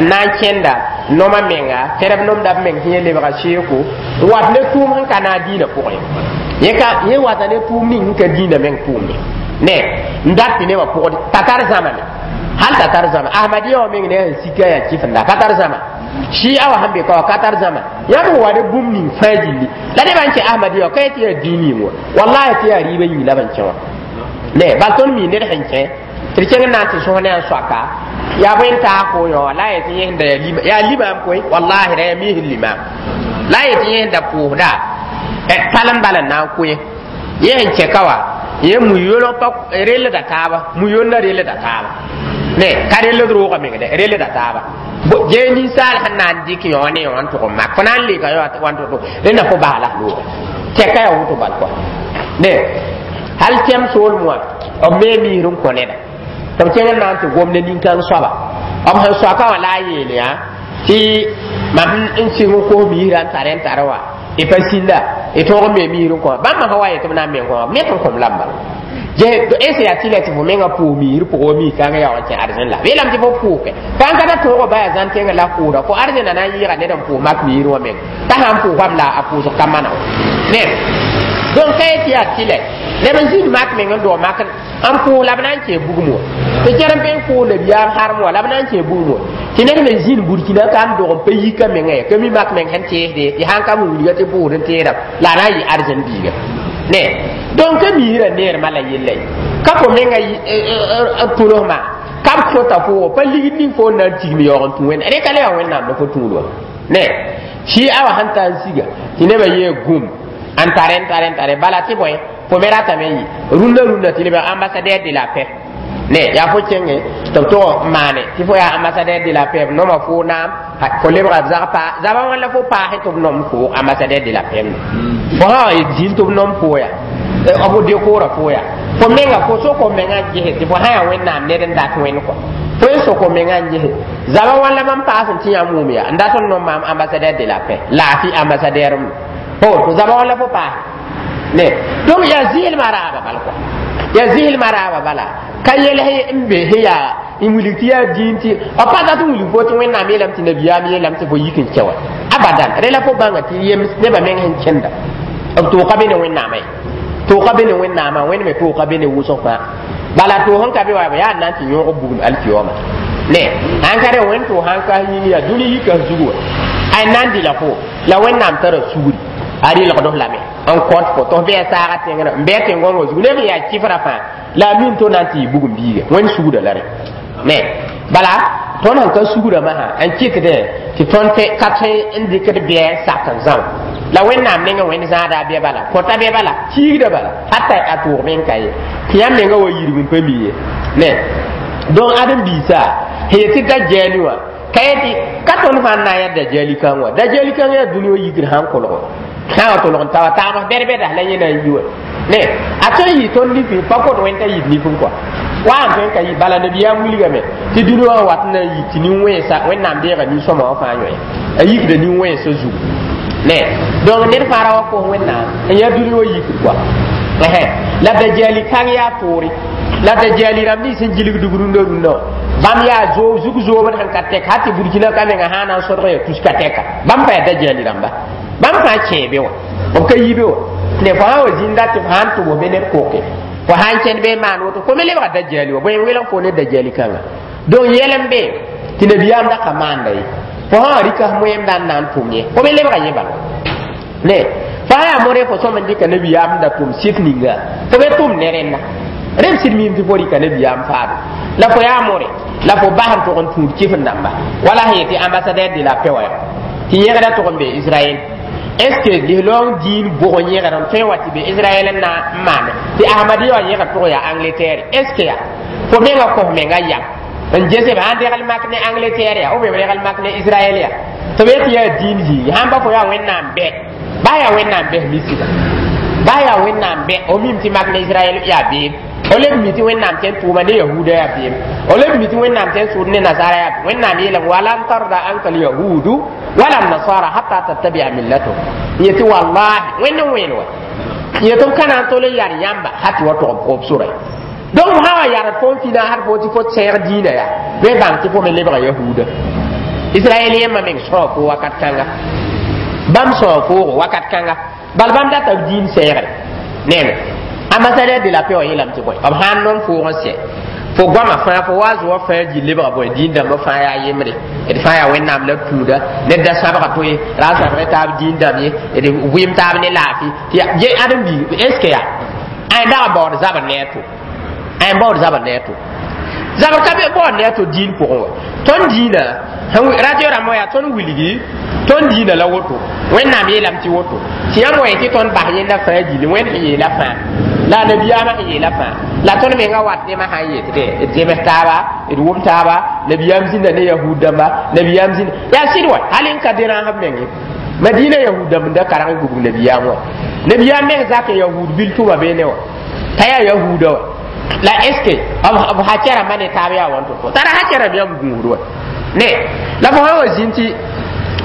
n na n kẽnda noma menga tẽrb nomda b meng sẽn yẽ lebga seeko n wat ne tʋʋm sẽn ka naag dĩinã pʋgẽ yẽ ka yẽ wata ne tʋʋm ning sẽn ka dĩinã meng tʋʋmde ne n dat tɩ nebã pʋgd t'a tar zãmame hal t'a tar zãma ahmadiya wã meng ne sẽn sika yaa kifenda ka tar zãma shia wã sẽn be ka wa ka tar zãma yãmb wa ne bũmb ning fãa gilli la nebã n kẽ ahmadiya wã ka yetɩ yaa dĩin yĩng wa wallahi tɩ yaa rɩɩbã yĩng la b n kẽ wã ne bal tõnd mi ned sẽn kẽ Tɩ d kẽng n na n tɩ sõs ne a soaka yaa bõe n taag fo yõ la a yetɩ yẽ sẽn da yaa limaam koe, wallahi, ra yaa miisd limaam la a yetɩ yẽ sẽn da pʋʋsda talem bala n na n koe yẽ sẽn kɛ ka wa yẽ mu-yolg pa relda taaba, mu-yonna relda taaba ne ka reld roogã meng dɛ relda taaba. Gee ninsaal sẽn na n dɩk yõ ne yõ n tʋg n mak fo na n leka yõ wan to rẽnda fo bas la looge tɛka yaa woto bal kɔa ne hal tɛm soolem wã b me miisd n kõ neda tɩ b kẽng n na n tɩ gom ne nin-kãng soaba b sẽn soaka wã la a yeel yã tɩ mam n sɩng n kos miisrã n tar n tar wa y pa sĩnda y tõog n me miisd n kõ bãmb sã wa yetɩ b na n me n kõ b net n kõm lamba est yaa tɩ la tɩ fo menga pʋʋs miisr pʋgã wa miis kãngã yaa wa kẽ arzẽn la yeelame tɩ fo pʋʋke fãn ka ta tõogo ba yaa zãn tẽngã la pʋʋsda fo arzẽna na n yɩɩga ned n pʋʋs mak miisr wã meng t'a sãn pʋʋsam la a pʋʋsg ka mana ne. Donc ka yetɩ yaa tɩlɛ neb n zĩnd mak meng n dog mak n pʋʋs la b na n kẽ bugum wã tɩ kẽr n be n pʋʋs nabiyaam harem wã la b na n kẽ bugum wã tɩ ned me zĩnd Burkina ka n dog n pa yika menga ye ka mi mak meng sẽn teesde tɩ sãn ka wilga tɩ pʋʋsd n teeda la a na n yɩ arzẽn biiga ne. Donc ka miisrã neermã la yella ye ka fo menga tʋlsmã ka b kõta fo pa ligd ning fo n na n tigm yaoog n tũ wẽnna rẽ ka le yaa Wẽnnaam la fo tũud wa ne. Sɩ awa sẽn ta n siga tɩ nebã yee gũm n tare n tare n tare bala tɩ bõe fo me ratame n yɩ rũndã rũndã tɩ leb ambassadeur de la paix ne yaa fo kẽnge tɩ b tog n maane tɩ fo yaa ambassadeur de la paix b noma fo naam fo lebga zag pa zabã wãn la fo paase tɩ b nom fo ambassadeur de la paix fo sã wa zĩnd tɩ b nom fo ya b dekoora fo ya fo menga fo sok menga n gese tɩ fo sã yaa Wẽnnaam ned n dat wẽnd kɔ fo n sok menga n gese zabã wãn la mam paas n tɩ yãmb wʋm ya n dat n nom maam ambassadeur de la paix laafɩ ambassadeur m fo to zabã wãn la fo paase ne. Donc yaa zɩɩlmã raaba bal kɔ yaa zɩɩlmã raaba bala ka yels n be sẽn yaa n wilg tɩ yaa dĩin tɩ b pa dat n wilg fo tɩ Wẽnnaam yeelame tɩ nabiyaam yeelame tɩ fo yik n kɛ wa abadan rẽ la fo bãnga tɩ yems nebã meng sẽn kẽnda b tooka be ne Wẽnnaamã ye tooka be ne Wẽnnaamã Wẽnd me tooka be ne wʋsg fãa bala toog n ka be wa yaa n na n tɩ yõog bugum alkiyoma ne sãn ka rẽ wẽnd toog sãn ka yĩng yaa dũni yika zugu wa ay na n dɩla fo la Wẽnnaam tara sugri a rɩlgd lame n kõt fo tɩ f bɩ a saaga tẽngrã n bɩ a tẽn-gõngã zugu neb yaa kɩfrã fãa la a min to na n tɩ yɩ bugum biiga Wẽnd sugda la rẽ ne. Bala tõnd sẽn ka sugrã masã n kɩtdẽ tɩ tõnd ka tõe n dɩkd bɩa n sak n zão la Wẽnnaam nengẽ Wẽnd zãada a bɩa bala kõta bɩa bala kiigda bala hatta a tʋʋg meng ka ye tɩ yãmb menga wa yirg n pa mi ye ne. Donc ãdem-biisã sẽn yet tɩ dajali wã ka yetɩ ka tõnd fãa n na n yaa dajali kãng wã dajali kãng yaa dũni wã yikd sãn kolgo sã wa tolg n ta wa taabs bɛd-bɛdas la yẽ na n yi wa ne a tõe n yɩ tõnd nifẽ pa kot Wẽnd t'a yit nifẽ kɔa wa n tõe n ka yɩ bala nabiyaam wilgame tɩ dũni wã wat n na n yik tɩ nin-wẽnsa Wẽnnaam deega nin-sõma wã fãa yõe a yikda nin-wẽnsã zugu ne. Donc ned fãa ra wa kos Wẽnnaam n yaa dũni wã yikd kɔa la dajali kãng yaa toore la dajali rãmb nins sẽn gilgdg rũndã rũndã wã bãmb yaa zug zoobd sẽn ka tɛk hal tɩ Burkina ka menga sã na n sõdg yaa tus ka tɛka bãmb pa yaa dajali rãmba bãmb fãa kẽe be wã b ka yi be wã ne fo sã wa zĩnda tɩ fo sãn tʋbs be ned koke fo sãn kẽnd be n maan woto fo me lebga dajali wa bõe n welg fo ne dajali kãnga. Donc yɛl n be tɩ nabiyaam da ka maanda ye fo sã wa rɩka moẽmda n na n tʋm ye fo me lebga yẽ bala ne fo sã yaa modẽ fo sõm n dɩka nabiyaam da tʋm sɩf ninga fo be tʋm ne rẽnda rẽb sɩd miim tɩ fo rɩka nabiyaam faado la fo yaa more la fo bas n tʋg n tũud kɩf n dãmba wala sẽn yetɩ ambassadeur de la paix wa tɩ yẽgda tʋg n be Israɛl est ce que lislaong dĩin bʋg n yẽgd n tõe wa tɩ be Israɛl n na n maane tɩ Ahmadiya wã yẽgd tʋg yaa Angleterre est ce que yaa fo menga kos menga yam n gesb sãn degl mak ne Angleterre ya ou bien b regl mak ne Israɛl ya tɩ b yetɩ yaa dĩin zĩigi sãn ba fo yaa Wẽnnaam bɛ ba yaa Wẽnnaam bɛs misida ba yaa Wẽnnaam bɛ o mim tɩ mak ne Israɛl yaa beem o leb mi tɩ Wẽnnaam tõe n tʋʋma ne yahuda yaa beem o leb mi tɩ Wẽnnaam tõe n sʋʋd ne nasara yaa Wẽnnaam yeelame walan tarda anka alyahudu wala nasara hatta tattabia millato yetɩ wallahi Wẽnd n wẽen wa yetɩ b ka na n tol n yar yãmba ha tɩ wa tog b sora. Donc sã wa yard fo n fina had fo tɩ fo sẽeg dĩinã yaa bɩ bãng tɩ fo me lebga yahuda Israɛl yẽmbã meng sõa fo wakat kãnga bãmb sõa foogo wakat kãnga bal bãmb data b dĩin sɛɛgre neme ambassadeur de la paix wã yeelame tɩ bõe b sãn nom foog n sɛ fo goama fãa fo wa zoa fãa gil lebga bõe dĩin dãmbã fãa yaa yembre d fãa yaa Wẽnnaam la tũuda ned da sãbga toe ra n sãbg taab dĩin dãmb ye d vɩɩm taab ne laafɩ tɩ ãdem-biig est ce que yaa ãy dag baood zabr ne a to ãy baood zabr ne a to Zabr ka be baood ne a to diin pʋgẽ wa. Tõnd diinã radio rãmbã yaa tõnd wilgi tõnd diinã la woto. Wẽnnaam yeelame tɩ woto tɩ yãmb wa yetɩ tõnd bas yẽnda fãa gilli Wẽnd sẽn yeela fãa la a nabiyaamã sẽn yeela fãa la tõnd menga wat nemã sã n yet d zems taaba, d wʋm taaba. Nabiyaam zĩnda ne yahud dãmba, nabiyaam zĩnda yaa sɩd wa hal n ka derãasb menge Madina yahud dãmb n da karg n gubg nabiyaam wa. Nabiyaam meng zak n yahud bil tʋma beene wa t'a yaa yahuuda wa. La est ce que b hacɛ rãmbã ne taab yaa wãn to tara hacɛ rãmb yãmb gũusd wa ne la fo sã wa zĩnd tɩ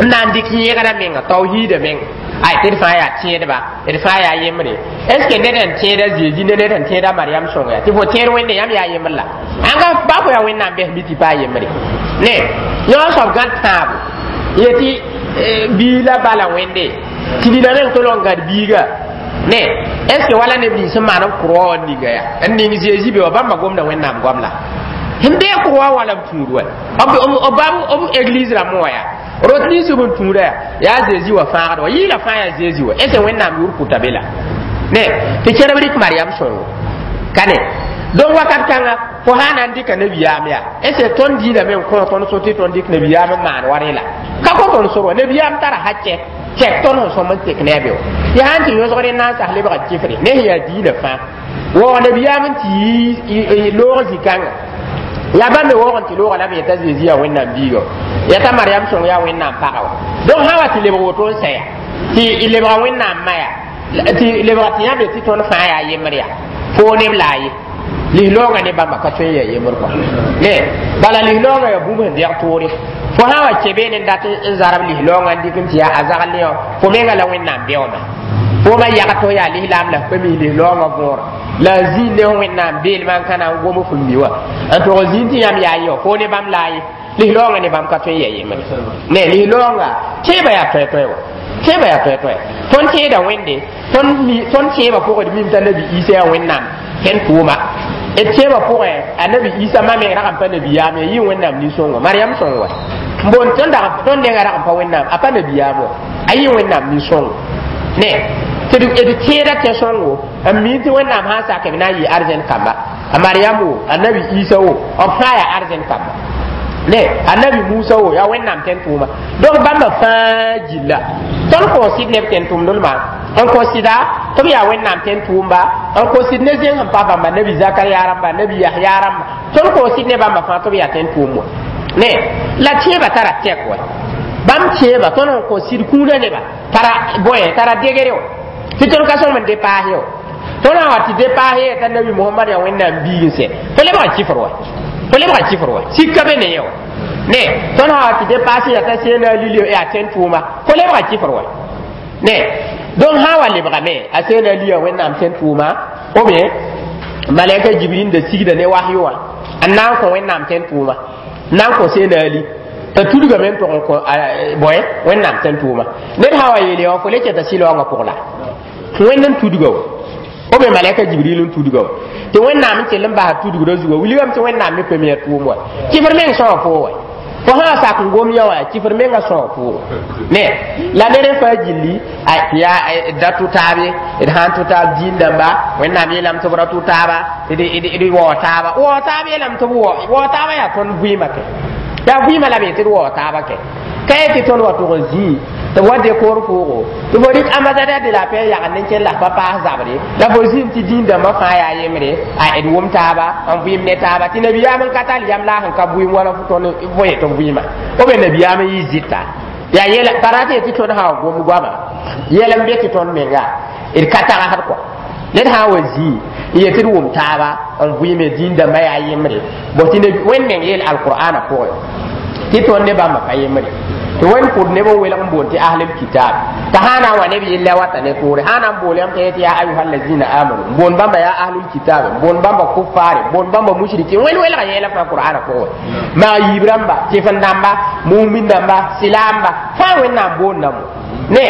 n na n dɩk yẽgrã menga tawhiida menga ay tɩ d fãa yaa tẽedba, d fãa yaa yembre. Est ce que ned n tẽeda Zezi ne ned n tẽeda Mariam sõnga yaa tɩ fo tẽed Wẽnde yãmb yaa yembr la ãnga ba fo yaa Wẽnnaam bɛs mi tɩ paa yembre ne yõ soab gãd tãabo yetɩ bii la bala Wẽnde tɩ nina meng tolg n gãd biiga ne. Est ce que wala neb nins sẽn maan b kʋrwa wa ninga yaa n ning Zezi be wa bãmba gomda Wẽnnaam goam la sẽn bee kʋrwa wã la b tũud wa b église rãmbẽ wã yaa rot nins b n tũuda yaa yaa Zezi wa fãagd wa yɩɩla fãa yaa Zezi wa. Est ce Wẽnnaam yʋʋr pʋta be la ne tɩ kẽrb rɩk Mariam sõngo ka ne. Donc wakat kãnga fo sã na n dɩka nabiyaam yaa est ce tõnd diinã me n kõ tõnd so tɩ tõnd dɩk nabiyaam n maan wa rẽ la ka kõ tõnd sor wa. Nabiyaam tara hacɛ tɛk tõnd sẽn sõm n tek ne a be wa yaa sãn tɩ yõsgr n na n sas lebga kɩfre ne sẽn yaa diinã fãa waoog nabiyaam n tɩ yi loog zĩ-kãnga yaa bãmb me waoog n tɩ loogã la b yeta Zezi yaa Wẽnnaam biiga yata Mariam sõng yaa Wẽnnaam pagã wa. Donc sã wa tɩ lebg woto n sã tɩ lebga Wẽnnaam ma yaa tɩ lebga tɩ yãmb tɩ tõnd fãa yaa yembr yaa foo neb la a ye lislaoongã ne bãmba ka tõe n yaa yembr kɔa ne bala lislaoongã yaa bũmb sẽn dɛg toore. Fo sã wa kẽ beene n dat n zarb lislaoongã n dɩk n tɩ yaa a zagl ne wã fo menga la Wẽnnaam beooma fo ma yag tɩ yaa lislaam la f pa mis lislaoongã võora la a zĩig ne Wẽnnaam beelmã n ka na n gom f mi wã n tog zĩig tɩ yãmb yaa ye wã fo ne bãmb la a ye lislaoongã ne bãmb ka tõe n yaa yembre ne. Lislaoongã tẽebã yaa toɛ-toɛ wa, tẽebã yaa toɛ-toɛ. Tõnd tẽeda Wẽnde tõnd tẽebã pʋgẽ d mim t'a Nabi Isa yaa Wẽnnaam tẽn tʋʋma d tẽebã pʋgẽ a Nabi Isa ma meng rag n pa nabiyaam ya yɩ Wẽnnaam nin-sõngo Mariam sõng wa n boond tõnd tõnd nenga rag n pa Wẽnnaam a pa nabiyaam wa a yɩ Wẽnnaam nin-sõngo ne tɩ d tẽeda tẽ-sõngo n mi tɩ Wẽnnaam sã n sak b na n yɩ arzɛn kamba a Mariam wo a Nabi Isa wo b fãa yaa arzɛn kamba ne a Nabi Musa wo yaa Wẽnnaam tẽn tʋʋma. Donc bãmba fãa gilla tõnd kõn sɩd neb tẽn tʋmdlmã n kõ sɩda tɩ b yaa Wẽnnaam tẽn tʋʋmba n kõ sɩd ne zẽng sẽn pa bãmba Nabi Zakariya rãmba, Nabi Yahya rãmba tõnd kõ sɩd ne bãmba fãa tɩ b yaa tẽn tʋʋm wa ne la tẽebã tara tɛk wa bãmb tẽebã tõnd sẽn kõ sɩd kũunã neba tara bõe tara degre wa tɩ tõnd ka sõm n depaase wa. Tõnd sã wa tɩ depaase t'a Nabi Mohamad yaa Wẽnnaam biig n sɛ fo lebga kɩfr wa, fo lebga kɩfr wa sika be ne yẽ wa ne. Tõnd sã wa tɩ depaase yaa t'a seena lili yaa tẽn tʋʋma fo lebga kɩfr wa ne. Donc sã wa lebgame a seena li yaa Wẽnnaam tẽn tʋʋma ou bien malɛka Jibril da sigda ne wahyu wã n na n kõ Wẽnnaam tẽn tʋʋma n na n kõ seena ali t'a tudgame n tʋg n kõ bõe Wẽnnaam tẽn tʋʋma. Ned sã wa yeele wã fo le kɛta sɩlaoongã pʋg la Wẽnd n tudga wa ou bien malɛka Jibril n tudga wa tɩ Wẽnnaam n kell n basa tudgrã zuga wilgame tɩ Wẽnnaam me pa mi a tʋʋm wa kɩfr meng sõa foo wa fo sã sak n gom yã wã kɩfr menga sõa pʋʋgo ne la ned n faa gilli tɩ yaa da tʋ taab ye d sã n tʋ taab diin dãmba Wẽnnaam yeelame tɩ b ra tʋ taaba d wao taaba wao taab yeelame tɩ b wao taaba yaa tõnd vɩɩmã kɛ yaa vɩɩmã la b yetɩ d wao taaba kɛ ka ye tɩ tõnd wa tʋg n zĩi tɩ b wa dekoor pʋʋgo tɩ fo rɩk ambassadeur de la paix yagend n kell la pa paas zabre la fo zĩnd tɩ diin dãmbã fãa yaa yembre a d wʋm taaba n vɩɩm ne taaba tɩ nabiyaam n ka tall yam la sẽn ka vɩɩm wala tõnd fo yet b vɩɩma o be nabiyaam n yɩ zɩta yaa yɛla pa rat ye tɩ tõnd sã wa gom goama yɛl n be tɩ tõnd menga d ka tagsd kɔa ned sã n wa zĩi n yetɩ d wʋm taaba n vɩɩme diin dãmbã yaa yembre bõ tɩ Wẽnd meng yeel alqur'ana pʋgẽ tɩ tõnd ne bãmba pa yembre tɩ Wẽnd kʋd neb n welg n boond tɩ ahlul kitab t'a sã na n wa neb yella wata ne toore sã na n bool yãmb t'a yetɩ yaa ayuha allazina amanu n boond bãmba yaa ahlul kitab n boond bãmba kuffare n boond bãmba mushrikin. Wẽnd welga yɛɛla fãa qur'ana pʋgẽ maa yiib rãmba tɩf-n dãmba mumin dãmba silaamba fãa Wẽnnaam boondame ne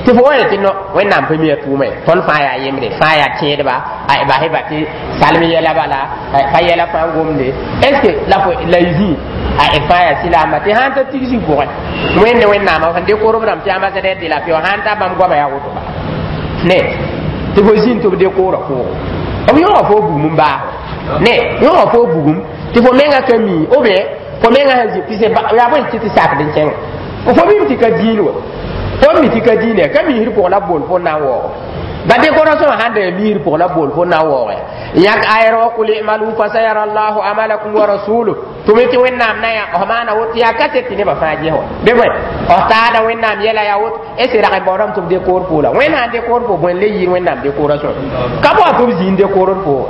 tɩ fo wa yetɩ no Wẽnnaam pa mi a tʋʋma ye tõnd fãa yaa yembre fãa yaa tẽedba basɩ ba tɩ salm yɛla bala pa yɛla fãa gomde est ce que la fo la y zĩ a fãa yaa silaamba tɩ sãn ta tigsi pʋgẽ Wẽnde Wẽnnaamã sẽn dekor b rãmb tɩ ambassadeur de la paix sãn ta bãmb goama yaa woto bala ne tɩ fo zĩnd tɩ b dekoorã pʋʋgo b yõga fo bugum n baas ne yõga fo bugum Tɩ fo menga ka mi ou bien fo menga sẽn zĩ tɩ yaa bõe tɩ tɩ sakd n kẽngã fo mim tɩ ka dĩin wa fo mi tɩ ka dĩin ka misr pʋgẽ la bool fo na n waoogo ba décoration sãn da misr pʋgẽ la bool fo na n waooge yãk ayɛr wa qul i'malu fasayara allahu amalakum wa rasuluh tʋ me tɩ wẽnnaam na yã f maana woto yaa kaset tɩ nebã fãa ges wa be bõe f taada wẽnnaam yɛla yaa woto est ce rag n baoodame tɩ b décoor fo la wẽnd sãn décoor fo bõe n le yɩɩd wẽnnaam décoration ka bao tɩ b zĩig décoor fo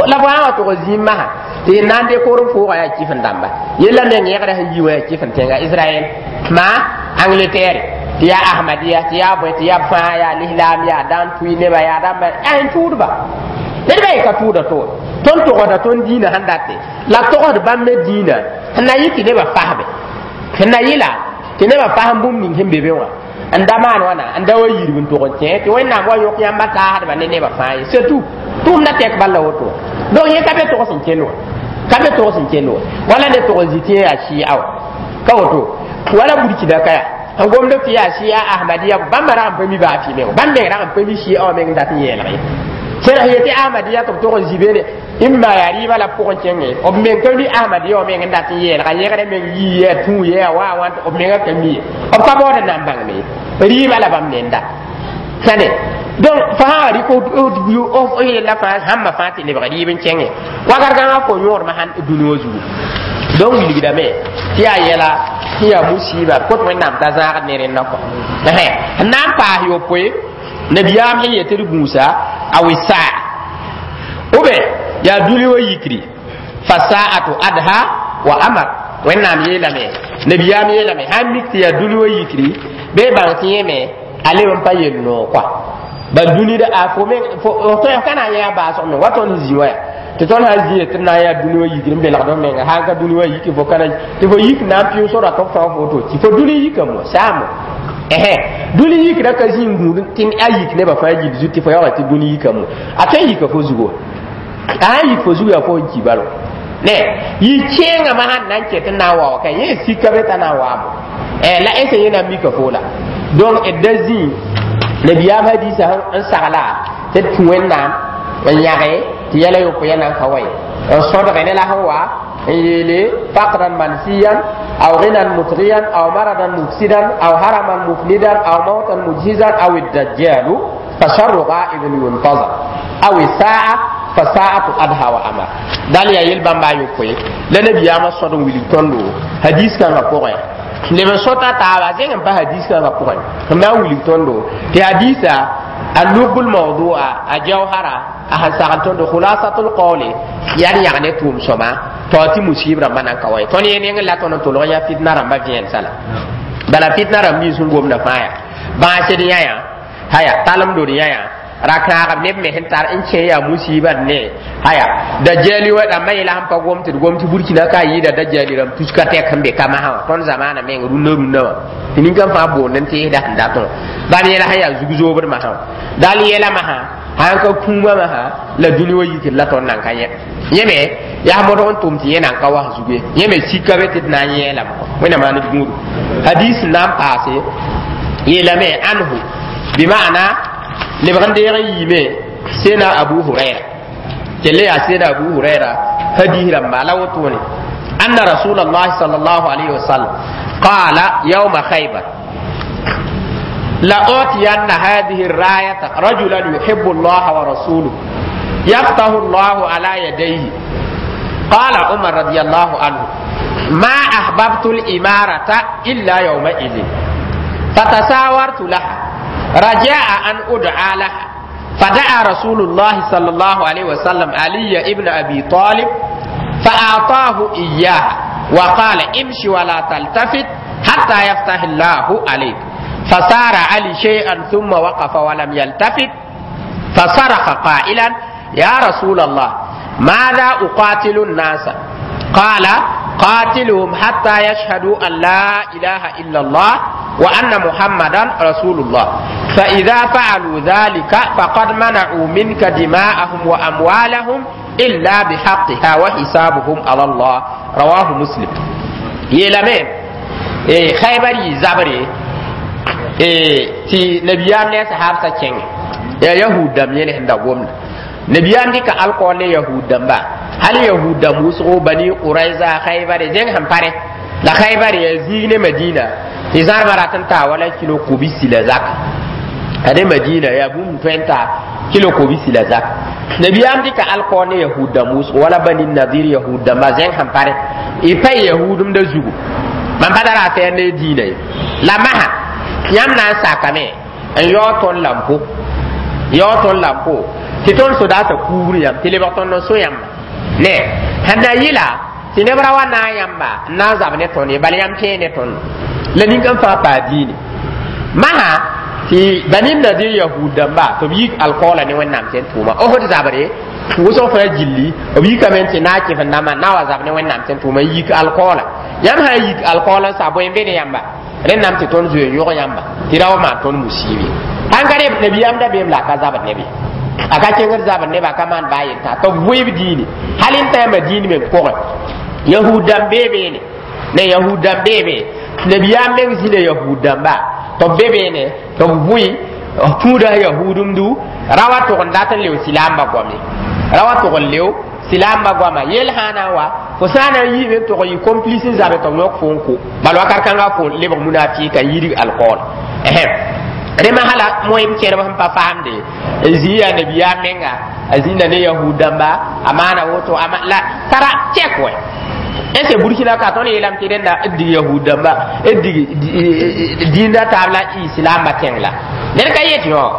la fo sã wa tʋg zĩig masã tɩ y na n décoor n foogã yaa kɩf n dãmba yella meng yẽgda sẽn yi wã yaa kɩf n tẽnga Israɛl ma Angleterre tɩ yaa Ahmadiya tɩ yaa bõe tɩ yaa b fãa yaa lislaam yaa dãn tʋɩ nebã yaa dãmba yaa n tʋʋdba ned ba ka tʋʋda to tõnd togsda tõnd dĩinã sẽn date la togsd bãmb me dĩinã sẽn na yɩ tɩ nebã fasbe sẽn na yɩla tɩ nebã fasm bũmb ning sẽn be be wã n da maan wãna n da wa yirb n tog n kẽ tɩ wẽnnaam wa yõk yãmba taasdba ne nebã fãa ye surtout tʋʋmda tɛk bal la woto donc yẽ ka be togs n kell wã ka be togs n kell wã wala ne tog n zĩ tɩ yẽ yaa shia wã ka woto wala burkina ka yaa n gomd tɩ yaa shia ahmadiya bãmba rag n pa mi baa fɩ meng bãmb meng rag n pa mi shia wã meng dat n yeelg ye sẽn yetɩ ahmadiya tɩ b tog n zĩ beene n maa yaa rɩɩbã la pʋgẽ kẽnge b meng ka mi ahmadiya wã meng n dat n yeelga yẽgdã meng yii yaa tũu ye a wa wã b menga ka mi ye b ka baood n na n bãngme ye rɩɩbã la bãmb nenda sãne donc fo sã wa rɩk f yella fãa sãmbã fãa tɩ lebg rɩɩb n kẽngẽ wakat kãngã fo yõodmã sãn dũni wã zugu donc wilgdame tɩ yaa yɛla tɩ yaa musiba kot wẽnnaam t'a zãagd ne rẽndã kɔ n na n paas yopoe nabiyaam sẽn yetɩ d gũusa aw saa ou bien yaa dũni wã yikri fasaatu adha wa amar wẽnnaam yeelame nabiyaam yeelame sãn mik tɩ yaa dũni wã yikri bee bãng tɩ yẽ me a leb n pa yel noog kɔa bal dũni da a fo meng fo tõe ka na n yã baasg me wa tõnd zĩ wa ya tɩ tõnd sã n zĩ tɩ d na n yaa dũni wã yikr n belgd f menga sãn ka dũni wã yiki fo kana tɩ fo yik na n pɩʋʋs ra tɩ f fao fo woto tɩ fo dũni yikame wa saamo ɛhɛ dũni yikra ka zĩ n gũud tɩ a yik nebã fãa gil zut tɩ fo yaoogã tɩ dũni yikame a tõe n yika fo zugo a sãn yik fo zugu yaa fo n ki balo ne yi kẽengã sãn na n ket n na n wa wa ka yẽ sika be t'a na n waamo la ese yẽ na n mika fo la donc d da zĩ nabiyaam hadisa n sagla tɩ d tũ wẽnnaam n yãge tɩ yɛla yopoe ya nan ka wa ye n sõdge ne la sẽn wa n yeele faqran mansiyan aw ghinan mutghiyan aw maradan mufsidan aw haraman mufnidan aw mautan mujhizan aw الدجال فشر غائب ينتظر aw الساعة فساعة أدهى وأمر dal ya yel bãmba yopoe la nabiyaamã sõd n wilg tõndo hadis kãngã pʋgẽ leb n sõta taaba zẽng n pa hadis kãngã pʋgẽ n na n wilg tõndo tɩ hadisa a lubul mawdua a jawhara a sẽn sagl tõndo khulasatul qawli yaa d yãg ne tʋʋm sõma tao tɩ musib rãmbã nan ka wa ye tõnd yẽ nengẽ la tõnd n tolg yã fitna rãmbã vẽen sala bala fitna rãmb nins sẽn gomda fãa yaa bãasd yã haya talem dod yã yã rakãagb neb me sẽn tar n kẽ yaa musiba ne haya dajali wa rãmbã yɛla sẽn pa gom tɩ d gom tɩ burkina ka yɩɩda dajali rãmb tuska tɛk sẽn be ka masã wã tõnd zamaana meng rũnnã rũnnã wã tɩ nin-kãn fãa boond n teesda sẽn datẽ wã bãmb yɛla sẽn yaa zug-zoobd masã wã dal yɛla masã sãn ka kũumã masã la dũni wã yikr la tõnd nan ka yẽ yẽ me yaa modg n tʋm tɩ yẽ nan ka was zugu ye yẽ me sika be tɩ d na n yẽelame wẽnnaam maan d gũudu hadis n na n paase yeelame anhu bima'ana lebg n deeg n yiime sena abu huraira kelle yaa sena abu huraira hadis rãmba la wotone anna rasul allah sal allahu alayhi wasallam qala yawma khaybar لأعطين هذه الراية رجلا يحب الله ورسوله يفتح الله على يديه قال عمر رضي الله عنه ما أحببت الإمارة إلا يومئذ فتساورت لها رجاء أن أدعى لها فدعا رسول الله صلى الله عليه وسلم علي ابن أبي طالب فأعطاه إياها وقال امشي ولا تلتفت حتى يفتح الله عليك فسار علي شيئا ثم وقف ولم يلتفت فصرخ قائلا يا رسول الله ماذا أقاتل الناس قال قاتلهم حتى يشهدوا أن لا إله إلا الله وأن محمدا رسول الله فإذا فعلوا ذلك فقد منعوا منك دماءهم وأموالهم إلا بحقها وحسابهم على الله رواه مسلم يلمين إيه خيبر زبري إيه تي نبيان ne sahabsa kẽngẽ ya yahud dãmb yẽl sẽn da gomda nabiyaam dɩka alkool ne yahud dãmba Hal yahud dãmb wʋsgo, Bani Qurayza, Khaybar zẽng sẽn pare la Khaybar yaa zĩig ne Madina tɩ zãrmã rat n taa wala kilo kobisi la zak. Ade Madina yaa bũmb tõe n taa kilo kobisi la zak. Nabiyaam dɩka alkaoor ne yahud dãmb wʋsgo wala Bani Nadir, yahud dãmba zẽng sẽn pare y pa yahudemda zugu. Mam pa tara a fɛɛr ne diinã ye la masã yãmb na n sakame n yaoog tõnd lampo, yaoog tõnd lampo tɩ tõnd sodaasã kuubr yãmb tɩ lebg tõnd n so yãmba ne sẽn na yɩla tɩ neb ra wa naag yãmba n na n zab ne tõnd ye. Bala yãmb kẽe ne tõnd la nin-kãn fãa paa diine masã tɩ Bani Nadir yahud dãmba tɩ b yik alkaoola ne Wẽnnaam sẽn tʋʋma. Osd zabre wʋsg fãa gilli b yikame tɩ naag kɩf n dãmbã na wa zab ne Wẽnnaam sẽn tʋʋma yik alkaoola. Yãmb sã n yik alkaoola n sa bõe n be ne yãmba, rẽndame tɩ tõnd zoe n yõg yãmba tɩ ra wa maan tõnd musiib ye. Sãn ka reb nabiyaam da beem la a ka zabd neb ye, a ka kẽngd zabd neba, a ka maan baa yel t'a tɩ b vʋɩb diine hal n tãama diin meng pʋgẽ. Yahud dãmb bee beene ne yahud dãmb bee be, nabiyaam meng zĩna yahud dãmba tɩ b be beene tɩ b vʋɩ tũuda yahudumdu ra wa tʋg n dat n leo silaambã goame, ra wa tʋg n leo silaambã goama yel sã na n wa fo sã na n yiime n tʋg n yɩ complice n zabe tɩ b yõk fo n ko. Bala wakat kãnga fo lebg munafika n yidg alkaool. Rẽma hala moem kẽrb sẽn pa faamde n zĩ yaa nabiyaam menga a zĩnda ne yahud dãmba a maana woto la tara tɛk wɛ. Est ce que Burkina ka tõnd yeelame tɩ rẽnda d dig yahud dãmba, d dig dĩnda taab la islaambã tẽng la ned ka yet yõ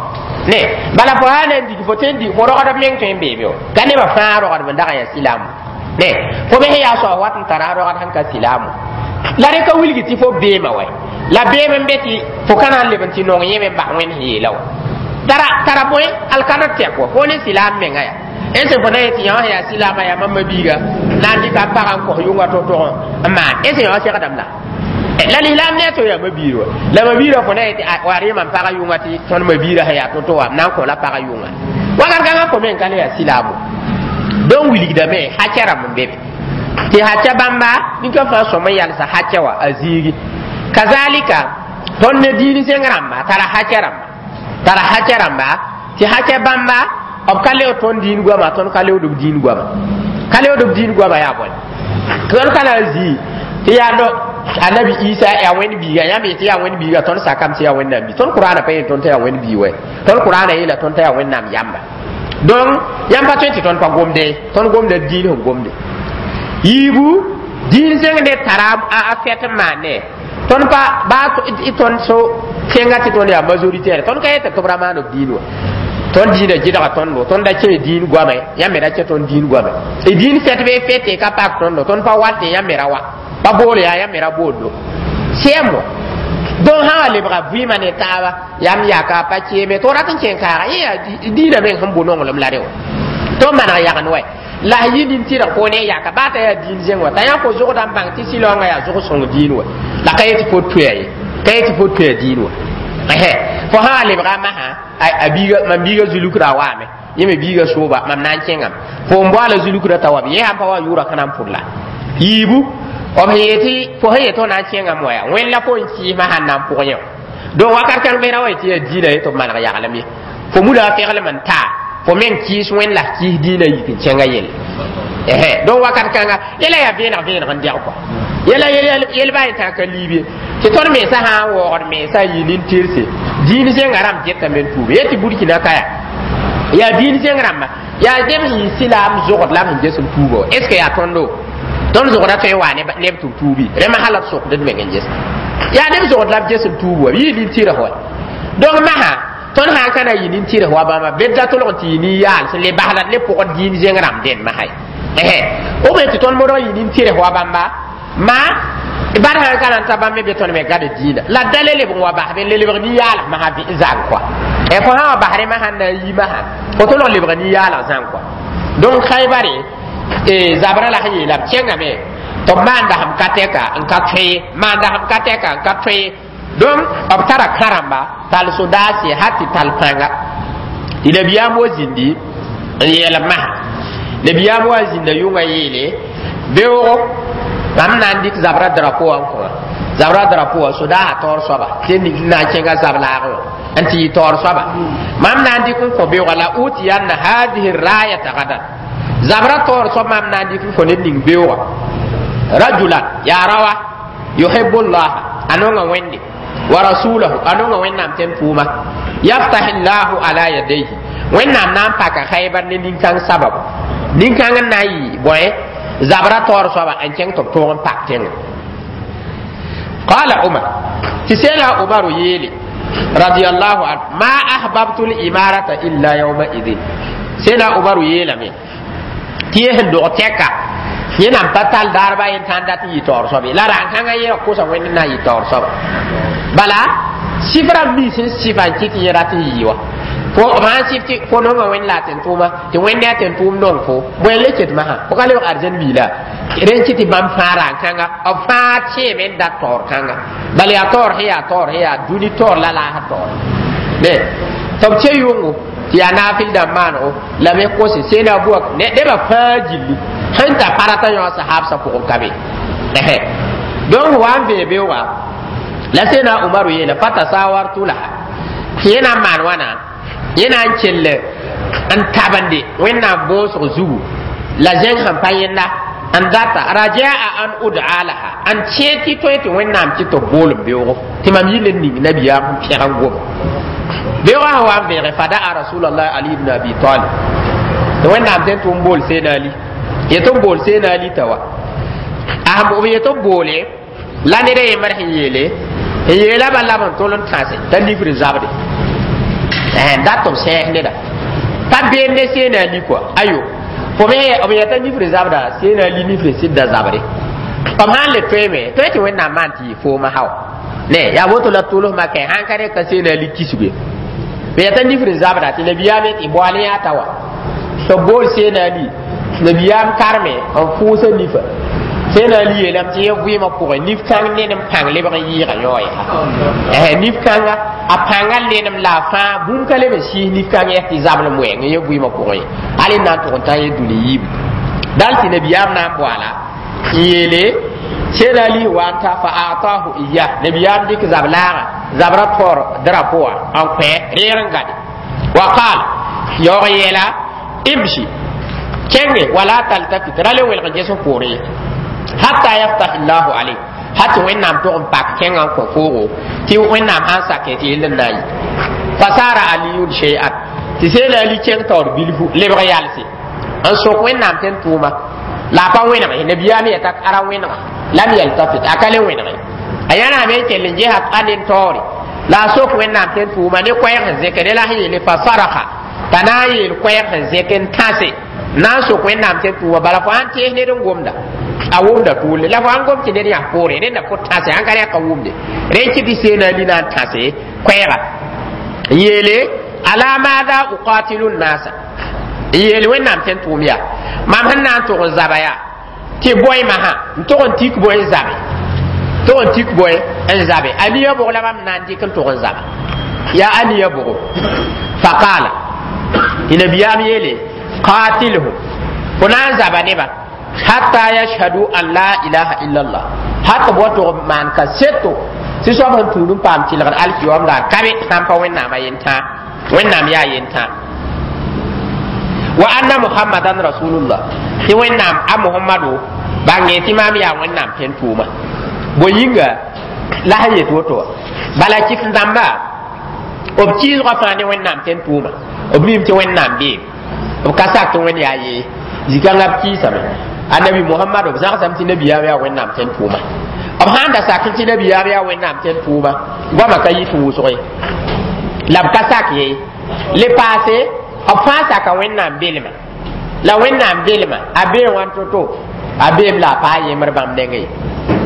ne bala fo sã na n dig fo tõe n dig fo rogdb meng tõe n beebe o ka nebã fãa rogdb n dag n yaa silaamo ne fo bes yaa soab wat n tara a rogd sẽn ka silaamo la rẽ ka wilg tɩ fo beema wɛ la beem n be tɩ fo ka na n leb n tɩ nong yẽme n bas Wẽnd sẽn yeela wa tara tara bõe alkadr tɛk wa fo ne silaam menga ya. Est ce fo na yetɩ yã wã yaa silaamã yaa mam mabiiga na n dɩka pagã n kos yʋnga to-tog n maan? Est ce yã wã segdame la la lislaam ne to yaa mabiir wa la mabiirã fo na yetɩ wa rɩɩma n pagã yʋnga tɩ tõnd mabiirã sẽn yaa to-to wa na n kõ la pagã yʋnga wakat kãngã fo meng ka le yaa silaamo. Donc wilgdame hacɛ rãmb n be be tɩ hacɛ bãmba nin-kã fãa sõm n yalsa hacɛ wa a zĩigi. Kazalika tõnd ne diin zẽng rãmba tara hacɛ rãmba, tara hacɛ rãmba tɩ hacɛ bãmba b ka leood tõnd diin goama, tõnd ka leood b diin goama, ka leood b diin goama. Yaa bõe tõnd ka na n zĩ tɩ yaa no Annabi Isa yaa Wẽnd biiga, yãmb yetɩ yaa Wẽnd biiga, tõnd sakame tɩ yaa Wẽnnaam bii. Tõnd Kʋraana pa yeel tõnd t'a yaa Wẽnd bii wɛ, tõnd Kʋraana yeela tõnd t'a yaa Wẽnnaam yamba. Donc yãmb pa tõe tɩ tõnd pa gomde, tõnd gomda diin sẽn gomde yiibu diin zẽng ne tara a fɛt n maan ne tõnd pa baa tõnd so kẽnga tɩ tõnd yaa majoritaire. Tõnd ka yetɩ tɩ b ra maan b diin wa, tõnd diinã gɩdga tõndo, tõnd da kẽ diin goame, yãmb me ra kẽ tõnd diin goame. Y diin fɛt bɩ fɛte ka pak tõndo, tõnd pa wat yãmb me ra wa pa bool yaa yãmb me ra booldo sɛm wa. Donc sã wa lebga vɩɩmã ne taaba yãmb yaka pa keeme tɩ rat n kẽn kaaga yẽ yaa diinã meng sẽn bo nonglem la rẽ wã tɩ maneg yagn wɛ la a yɩ nin-tɩrg fo ne yaka baa t'a yaa diin zẽng wa t'a yã fo zʋgda n bãng tɩ sɩlaoongã yaa zʋg sõng diin wa la ka yetɩ fo toɛa ye, ka yetɩ fo toɛa diin wa. Fo sã wa lebga masã a biiga mam biiga zulukra waame yẽ me biiga sooba mam na n kẽngame fo n boala zulukra t'a wa yẽ sãn pa wa yʋʋra ka na n pʋd la yiibu b sẽn yetɩ fo sẽn yetɩ f na n kẽngame wa yaa Wẽnd la fo n kɩɩsmã sãn na n pʋg yẽ. Donc wakat kãng bɩ ra wa yetɩ yaa diinã ye tɩ b maneg yaglem ye fo muda feglem n taa fo meng kɩɩs Wẽnd la kɩɩs diinã yik n kẽnga yelle. Donc wakat kãnga yɛla yaa vẽeneg vẽeneg n dɛg kɔa yɛla yel baa yetã ka liib ye tɩ tõnd mensã sã n waoogd mensã n yɩ nin-tɩrse diin zẽngã rãmb getame n tuube yetɩ Burkina ka yaa yaa diin zẽng rãmba yaa neb sẽn yɩ silaam zogd la b sẽn ges n tuuba wa. Est ce que yaa tõndo tõnd zogda tõe n waa neb tɩ b tuubi rẽmba hala b sokd d meng n ges yaa neb zogd la b ges n tuub wa b yɩ nin-tɩrg wa. Donc masã tõnd sã n ka na yɩ nin-tɩrg wa bãmba bed da tolg tɩ yɩ nin-yaal sẽn le basla ne pʋgd diin zẽng rãmb dẽnd masã ye o be tɩ tõnd modg yɩ nin-tɩrg wa bãmba ma bad sãn ka na n ta bãmb me be tõnd me gad diinã la da le lebg n wa bas be n le lebg nin-yaalg masã zãng kɔa. Fo sã wa bas rẽ masã n na n yi masã fo tõlg lebg nin-yaalg zãng kɔa. Donc Khaybare zabrã la sẽn yeela b kẽngame tɩ b maanda sẽm ka tɛka n ka tõe ye, maanda sẽm ka tɛka n ka tõe ye. Donc b tara kãrãmba tall sodaas ye hal tɩ tall pãnga tɩ nabiyaam wa zĩndi n yeel b masã. Nabiyaam wa zĩnda yʋngã yeele beoogo mam na n dɩk zabra drapo wã n kõ zabra drapo wã sodaasã taoor soaba tɩ na n kẽnga zab laagẽ wã n tɩ yɩ taoor soaba mam na n dɩk n kõ beoogã la utiyanna hadihi rayata gadan. Zabra taoor soab maam na n dɩk n fo ned ning beoogã rajulan yaa rawa yuhibu llaha a nonga Wẽnde wa rasulahu a nonga Wẽnnaam tẽn tʋʋma yaftah llahu ala yadayhi Wẽnnaam na n paka Khaybar ne nin-kãng sababu nin-kãng n na n yɩ bõe zabra taoor soaba n kẽng tɩ b tõog n pak tẽngã. Qala Umar tɩ seela Umaru yeele radiyallahu anhu ma ahbabtu limarata illa yawma idin seela Umaru yeelame tɩ yẽ sẽn dog tɛka yẽ nan pa tall daarba yẽ tãn dat n yɩ taoor soabe la rãn-kãngã yẽ kosa Wẽnd n na n yɩ taoor soaba bala sɩf rãmb nins sẽn sɩfa n kɩt yẽ rat n yɩ wa fo b sãn sɩf tɩ fo nonga Wẽnd la a tẽn-tʋʋma tɩ Wẽnd a tẽn-tʋʋm nong fo bõe le ket masã fo ka lebg arzɛn biila rẽn kɩ tɩ bãmb fãa rãn-kãnga b fãa tẽeme n dat taoor kãnga bala yaa taoor sẽn yaa taoor sẽn yaa dũni taoor la laasã taoor ne tɩ b che yʋngo tɩ yaa naafɩl dãmb maanego la me kose seena buak nebã fãa gilli sẽn ta parata yõ sahabsã pʋgẽ ka be donc wa n vee beoogã la seena Umaru yeela fatasawartu laha yẽ na n maan wãna yẽ na n kell n tabende Wẽnnaam boosg zugu la zẽng sẽn pa yẽnda n data rajaa an uda laha n tẽ tɩ tõe tɩ Wẽnnaam tɩ tɩ b bool n beoogo tɩ mam yɩl n ning nabiyaam n pẽg n gom beoogã sẽn wa n veege fadaa rasulallah Ali ibn Abi Talib tɩ Wẽnnaam tẽn tʋ n bool seena Ali yetɩ b bool seena Ali t'a wa a b yetɩ b boole la ned a yembr sẽn yeele n yeela ba lab n tol n tãse t'a nifr zabde n dat tɩ b sɛɛs neda pa beem ne seena Ali kɔa ayo fo me b yeta nifr zabda seena Ali nifr sɩdda zabre b sãn le toeeme tõe tɩ Wẽnnaam maan tɩ yɩ fooma hawa ne yaa woto la tʋls makɛ sãn ka rẽ ka seena Ali kisge b yeta nifr zabda tɩ nabiyaam tɩ boal yaa ta wa tɩ b bool seena Ali nabiyaam karme n fʋʋsa nifa seena Ali yeelame tɩ yẽ vɩɩmã pʋgẽ nif-kãng nenem pãng lebg n yɩɩga yao yaa nif-kãnga a pãngã lenem la a fãa bũmb ka leb n sɩɩs nif-kãng yɛs tɩ zablem wɛɛng yẽ vɩɩmã pʋgẽ ye hal n na n tʋg n tã yẽ dũni yiib dal tɩ nabiyaam na n boala n yeele seena Ali wa n ta fa atahu iya nabiyaam dɩk zab laaga zabra taoor drapo wã n kõ reeg n gade wa qaal yaoog yeela imshi kẽnge wala taltafit ra le welg n ges f poorẽ ye hatta yaftah llahu alayk ha tɩ Wẽnnaam tʋg n pak kẽngã n kõ foogo tɩ Wẽnnaam sãn sake tɩ yell n na n yɩ fasara Aliyun shay'an tɩ seela Ali kẽng taoor bilfu lebg yalse n sok Wẽnnaam tẽn tʋʋma la a pa wẽnege nabiyaam yɛta ara wẽnega lam yaltafit a ka le wẽnege a yãname n kell n ges a nen taoore la a sok Wẽnnaam tẽn tʋʋma ne koɛɛg sẽn zẽke ne la sẽn yeele fa saraka t'a na n yeel koɛɛg sẽn zẽk n tãse na n sok Wẽnnaam tẽn tʋʋma bala fo sãn tees ned n gomda a wʋmda tʋʋle la fo sãn gom tɩ ned yãs poore rẽnda fo tãse sãn ka rẽ ka wʋmde rẽ kɩ tɩ seena Ali na n tãse koɛɛga n yeele ala maada uqatilu nnasa n yeel Wẽnnaam tẽn tʋʋm yaa mam sẽn na n tʋg n zaba yaa tɩ bõe masã n tʋg n tik bõe n zabe tʋg n tik bõe n zabe a nia bʋg la mam na n dɩk n tʋg n zaba yaa a nia bʋgo faqaala tɩ nabiyaam yeele qatilhum fo na n zaba neba hatta yashhadu an la ilaha illallah hat b wa tʋg maan ka seto tɩ soab sẽn tũud n paam tɩlgd alkiyom la kabe sãn pa Wẽnnaamã yentã Wẽnnaam yaa yentã wa anna Muhammadan rasulullah tɩ Wẽnnaam a Mohamado bãnge tɩ maam yaa Wẽnnaam tẽn tʋʋma bõe yĩnga la sẽn yet woto wã bala kɩf dãmba b kɩɩsgã fãa ne Wẽnnaam tẽn tʋʋma b miime tɩ Wẽnnaam beem b ka sak tɩ Wẽnd yaa yee zikãngã b kɩɩsame annabi Mohamad b zãgsame tɩ nabiyaam yaa Wẽnnaam tẽn tʋʋma b sãn da sak tɩ nabiyaam yaa Wẽnnaam tẽn tʋʋma goamã ka yit wʋsg ye la b ka sak ye le paase b fãa saka Wẽnnaam belma la Wẽnnaam belma a bee wãn to-to a beem la a paa yembr bãmb nengẽ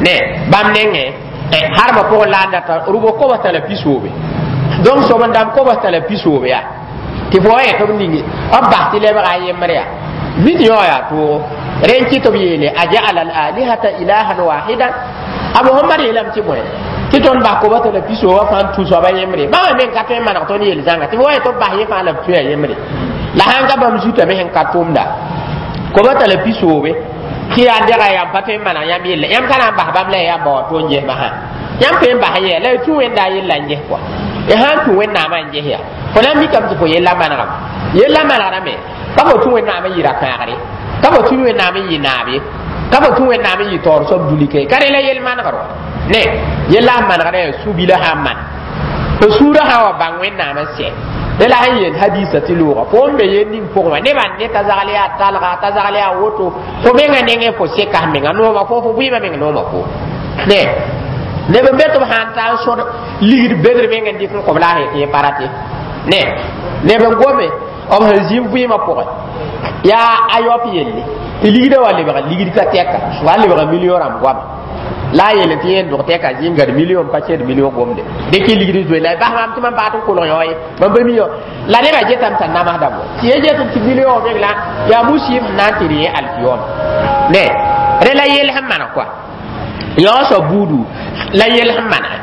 ne bãmb nengẽ harmã pʋgẽ la n data rʋbg kobs t'a la pisoobe donc soab n dãmb kobs t'a la pisoobe yaa tɩ fo wa yẽ tɩ b ning b bas tɩ lebga a yembr yaa vɩd yõ yaa toogo rẽn kɩ tɩ b yeele a jaala al alihata ilahan wahidan a Mohamad yeelame tɩ bõe tɩ tõnd bas koba t'a la pisooba fãa n tũ soaba yembre bãmba meng ka tõe n maneg tõnd yel zãnga tɩ fo wa yẽ tɩ b bas yẽ fãa la b tũa yembre la sãn ka bãmb zutame sẽn ka tʋmda koba t'a la pisoobe tɩ yaa dega yãmb pa tõe n maneg yãmb yella yãmb ka na n bas bãmb la yãmb ba wa tõnd ges masã yãmb tõe n bas yɛ la y tũ Wẽnda a yella n ges kɔa y sãn tũ Wẽnnaamã n ges yaa fo na n mikame tɩ fo yella manegame yella manegdame pa fo tũ Wẽnnaamã yɩ ra kãagre Ka fo tũ Wẽnnaam n yɩ naab ye, ka fo tũ Wẽnnaam n yɩ taoor soab dũni ka ye. Ka rẽ la yel manegr wa ne yella sẽn manegdã yaa su-bila sã n maan fo sũurã sã n wa bãng Wẽnnaam n sɛ. Dẽ la sẽn yeel hadisa tɩ looga fo n be yel ning pʋgẽ wã nebã ne t'a zagl yaa talga, t'a zagl yaa woto, fo mengã nengẽ fo seka f menga nooma fo, fo vɩɩmã meng nooma fo ne neb n be tɩ b sãn ta n sõd ligd bedr meng n dɩk n kõb la a tɩ pa rate ne neb n gome b sẽn zĩ vɩɩmã pʋgẽ yaa a yaop yelle tɩ ligdã wa lebg ligd ka tɛka wa lebga million rãmb goama la a yeel tɩ yẽn dog tɛka zĩ n gad million pa kẽed million gomde dɩk ligd zoe la bas maam tɩ mam baat n kolg yõ ye mam pa mi yõ la nebã getame t'a namsdame wa tɩ ye get tɩ million meng la yaa musɩɩb sẽn na n tɩ rẽ alkiyoma ne rẽ la yel sẽn maneg koa yao soab buudu la yel sẽn manege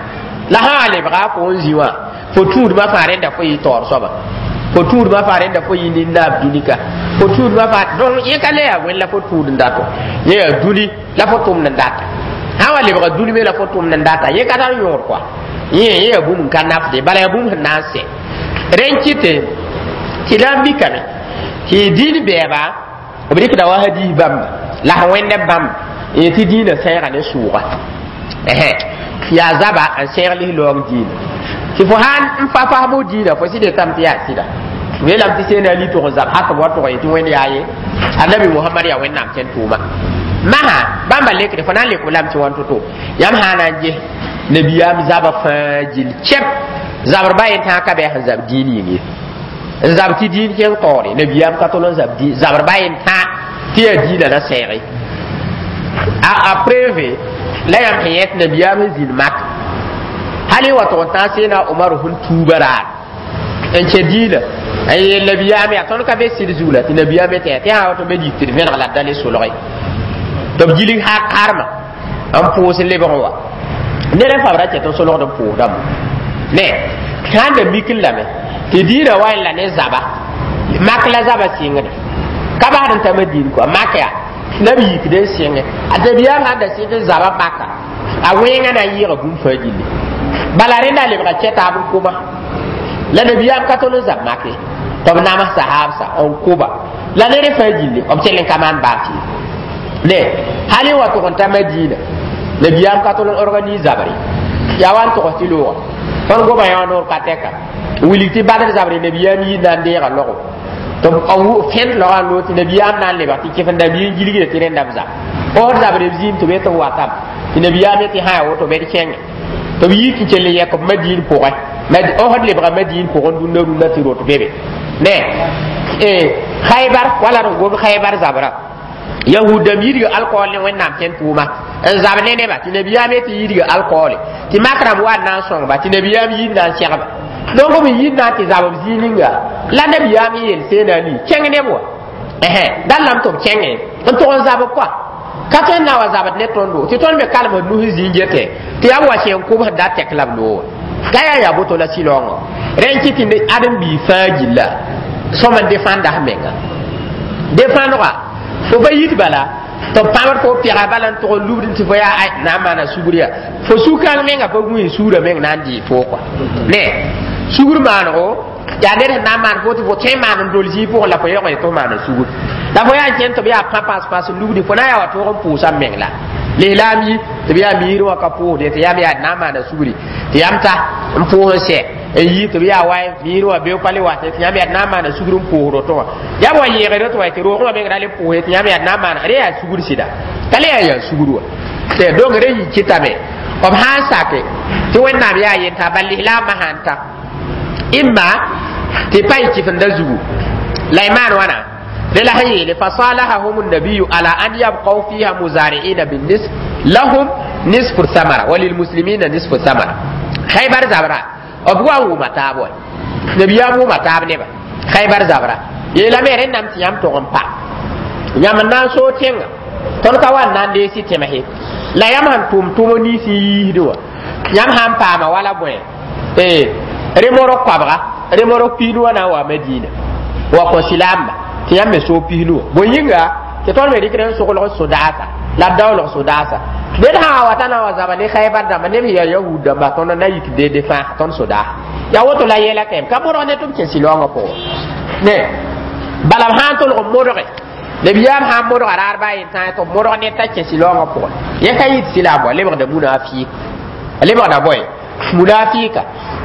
la sã wa lebga fo n zĩ wã fo tũudmã fãa rẽnda fo yɩ taoor soaba, fo tũudmã fãa rẽnda fo yɩ nin-naab dũni ka, fo tũudmã fãa. Donc yẽ ka le yaa wẽn la fo tũud n dato, yẽ yaa dũni la fo tʋmd n data. Sã wa lebga dũni me la fo tʋmd n data, yẽ ka tar yõod koa, yẽ yẽ yaa bũmb n ka nafde, bala yaa bũmb sẽn na n sɛ. Rẽ n kɩte tɩ na n mikame tɩ dĩin bɛɛba b rɩkda wa hadis bãmba la sẽn wẽnd bãmb n tɩ dĩinã sẽega ne sʋʋga yaa zaba n sẽeg lis-laoong dĩinã tɩ fo sãn n fa fasmo dĩinã fo sɩd yetame tɩ yaa sɩda weelame tɩ seena ali tʋg n zab hak b wa tʋg tɩ Wẽnd yaa ye Annabi Mohamad yaa Wẽnnaam kẽn tʋʋma masã bãmba lekde fo na n lek b lame tɩ wãn to-to yãmb sã na n ges nabiyaam zaba fãa gill kɛp zabr ba yen tãa ka bɩ sẽn zab dĩin yĩng ye n zab tɩ dĩin kẽng taoore. Nabiyaam ka tol n zab zabr ba yen tãa tɩ yaa dĩinã na sɛɛge a a preuve la yãmb sẽn yẽt nabiyaam sẽn zĩnd mak hal y wa tʋg n tãag seena Omar sẽn tuuba raar n kẽ dĩinã n yeel nabiyaam yaa tõnd ka be sɩd zug la tɩ nabiyaam tɩ tɩ sã woto me yik tɩ d vẽneg la d da le solge tɩ b gilg ha karma n pʋʋs lebg wa ned n fabra kɛt n solgd n pʋʋsdame ne sãn da mik n lame tɩ dĩinã wa la ne zaba mak la zaba sɩngda ka basd n ta Madin kɔa mak yaa la b yikd n sɩngẽ a nabiyaam sãn da sɩng n zaba maka a wẽngã na n yɩɩga bũmb fãa gilli bala rẽnda lebga kɛtaab n koma la nabiyaam ka tol n zab make tɩ b nams sahaabsa n koba la ned fãa gilli b kell n ka maan baas ye ne hal y wa tʋg n ta Madina nabiyaam ka tol n organise zabre yaa wa n togs tɩ looga tõnd goma yã noor ka tɛka wilg tɩ Badr zabre nabiyaam yii na n deega logo tɩ fẽnd logã n loog tɩ nabiyaam na n lebg tɩ kɩfenda bii n gilgda tɩ rẽnda b zab osd zabre b zĩim tɩ be tɩ b watam tɩ nabiyaam tɩ sã yaa woto bd kẽngẽ tɩ b yik n kell n yɛk b Madiin pʋgẽ osd lebga Madiin pʋgẽ rũndã rũndã tɩ rot bebe ne Khaybar wala d gom Khaybar zabra yahud dãmb yidga alkool ne Wẽnnaam kẽn tʋʋma n zab ne neba tɩ nabiyaam tɩ yidga alkoole tɩ mak rãmb wa n na n sõngba tɩ nabiyaam yid na n segba donc b yid na n tɩ zab b zĩig ninga la nabiyaam n yeel seena ali kẽng neb wa dal lame tɩ b kẽngẽ n tʋg n zab koa ka tõe n na wa zabd ne tõndo tɩ tõnd me kalem d nus zĩig gete tɩ yaa b wa sẽn kʋbs da tɛk la b loog ka yaa yaa boto la sɩlaoongã rẽ n kɩ tɩ ãdem-biig fãa gilla sõm n defãnda f menga defãndga fo ba yit bala tɩ b pãbd fo pɛga bala n tʋg n lubd tɩ fo yaa na n maana sugr yaa fo su-kãng menga pa gũi suurã meng na n dɩɩ fo kɔa ne sugr maanego yaa ned sẽn na n maan fo tɩ fo tõe n maan n dol zĩig pʋgẽ la fo yaoog tɩ f maana sugr la fo yaa n kẽnd tɩ b yaa pã pãs pãs n lubdi fo na n yaa wa tõog n pʋʋsa m meng la lislaam yi tɩ b yaa miir wã ka pʋʋsde tɩ yam yaa na n maana sugri tɩ yam ta n pʋʋs n sɛ n yi tɩ b yaa wa miir wã beo pa le wa tɩ yãmb yaa na n maana sugr n pʋʋs roto wã yam wa yẽegre tɩ wa tɩ roogẽ wã meng ra le pʋʋse tɩ yãmb yaa na n maana rẽ yaa sugr sɩda ka le yaa yaa sugr wa tɩ donc rẽ yi kɩtame b sã n sake tɩ Wẽnnaam yaa yenta bal lislaamã sãn ta imma tɩ pa yɩ kɩfenda zugu la y maan wãna rẽ la sẽn yeele fasalahahum النبي على أن يبقوا فيها مزارعين بالنصف لهم نصف الثمرة وللمسلمين نصف الثمرة خيبر zabra b wa n wʋma taab wa nabiyaam wʋma taab neba Khaybar zabra yeelame rẽndame tɩ yãmb tʋg n pa yãmb n na n soog tẽnga tõnd ka wa n na n dees tẽmse la yãmb sẽn tʋm tʋm nins n yiisd wã yãmb sã n paama wala bõe remork koabga remork piinu wã na n wa Madina wa kõ silaamba tɩ yãmb me soog pisnu wã bõe yĩnga tɩ tõnd me rɩkd n soglg sodaasa la b daoolg sodaasa ned sã wa wata na wa zaba ne Khaybar dãmba neb sẽn yaa yahud dãmba tõnd na yik dede fãa tõnd sodaasa yaa woto la yɛla kɛm ka modg ne tɩ b kẽ sɩlaoongã pʋgẽ ne bala b sã n tolg n modge Nabiyaam sã n modga raar baa yen tãa tɩ b modg ned t'a kẽ sɩlaoongã pʋgẽ, yẽ ka yɩ tɩ sɩlaam wa lebgda munafik, a lebgda bõe, munafika.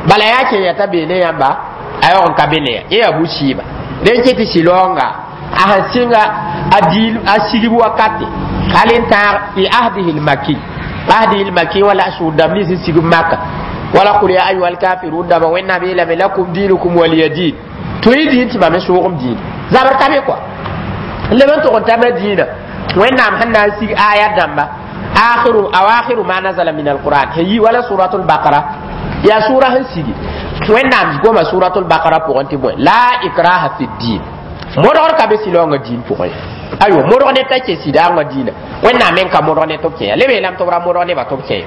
Bala yaa kẽ t'a bee ne yãmba, a yaoog n ka be ne ya, yẽ yaa bu-sɩɩba. Dẽn ket tɩ sɩlaoonga a sẽn sɩnga a diil a sigb wakate hal n tãag fi ahdihi lmaki, ahdihi lmaki, wala a sʋʋd dãmb nins n sigb Maka, wala قل يا أيها الكافرون dãmba. Wẽnnaam yeelame لكم دينكم ولي دين, tõe diin tɩ mam n soogem diin, zabr ka be kɔa n leb n tʋg n ta Madina. Wẽnnaam sẽn na n sig aya dãmba, آخر أواخر ما نزل من القرآن sẽn yi wala suratul Bakara, yaa sʋra sẽn sigi. Wẽnnaam goma suratul Bakara pʋgẽ tɩ bõe, لا إكراه في الدين, modgr ka be sɩlaoongã diin pʋgẽ. Aywa, modg ne t'a kẽ sɩdaangã diinã, Wẽnnaam men ka modg ne tɩ b kẽ. Leb yeelame tɩ b ra modg nebã tɩ b kẽ.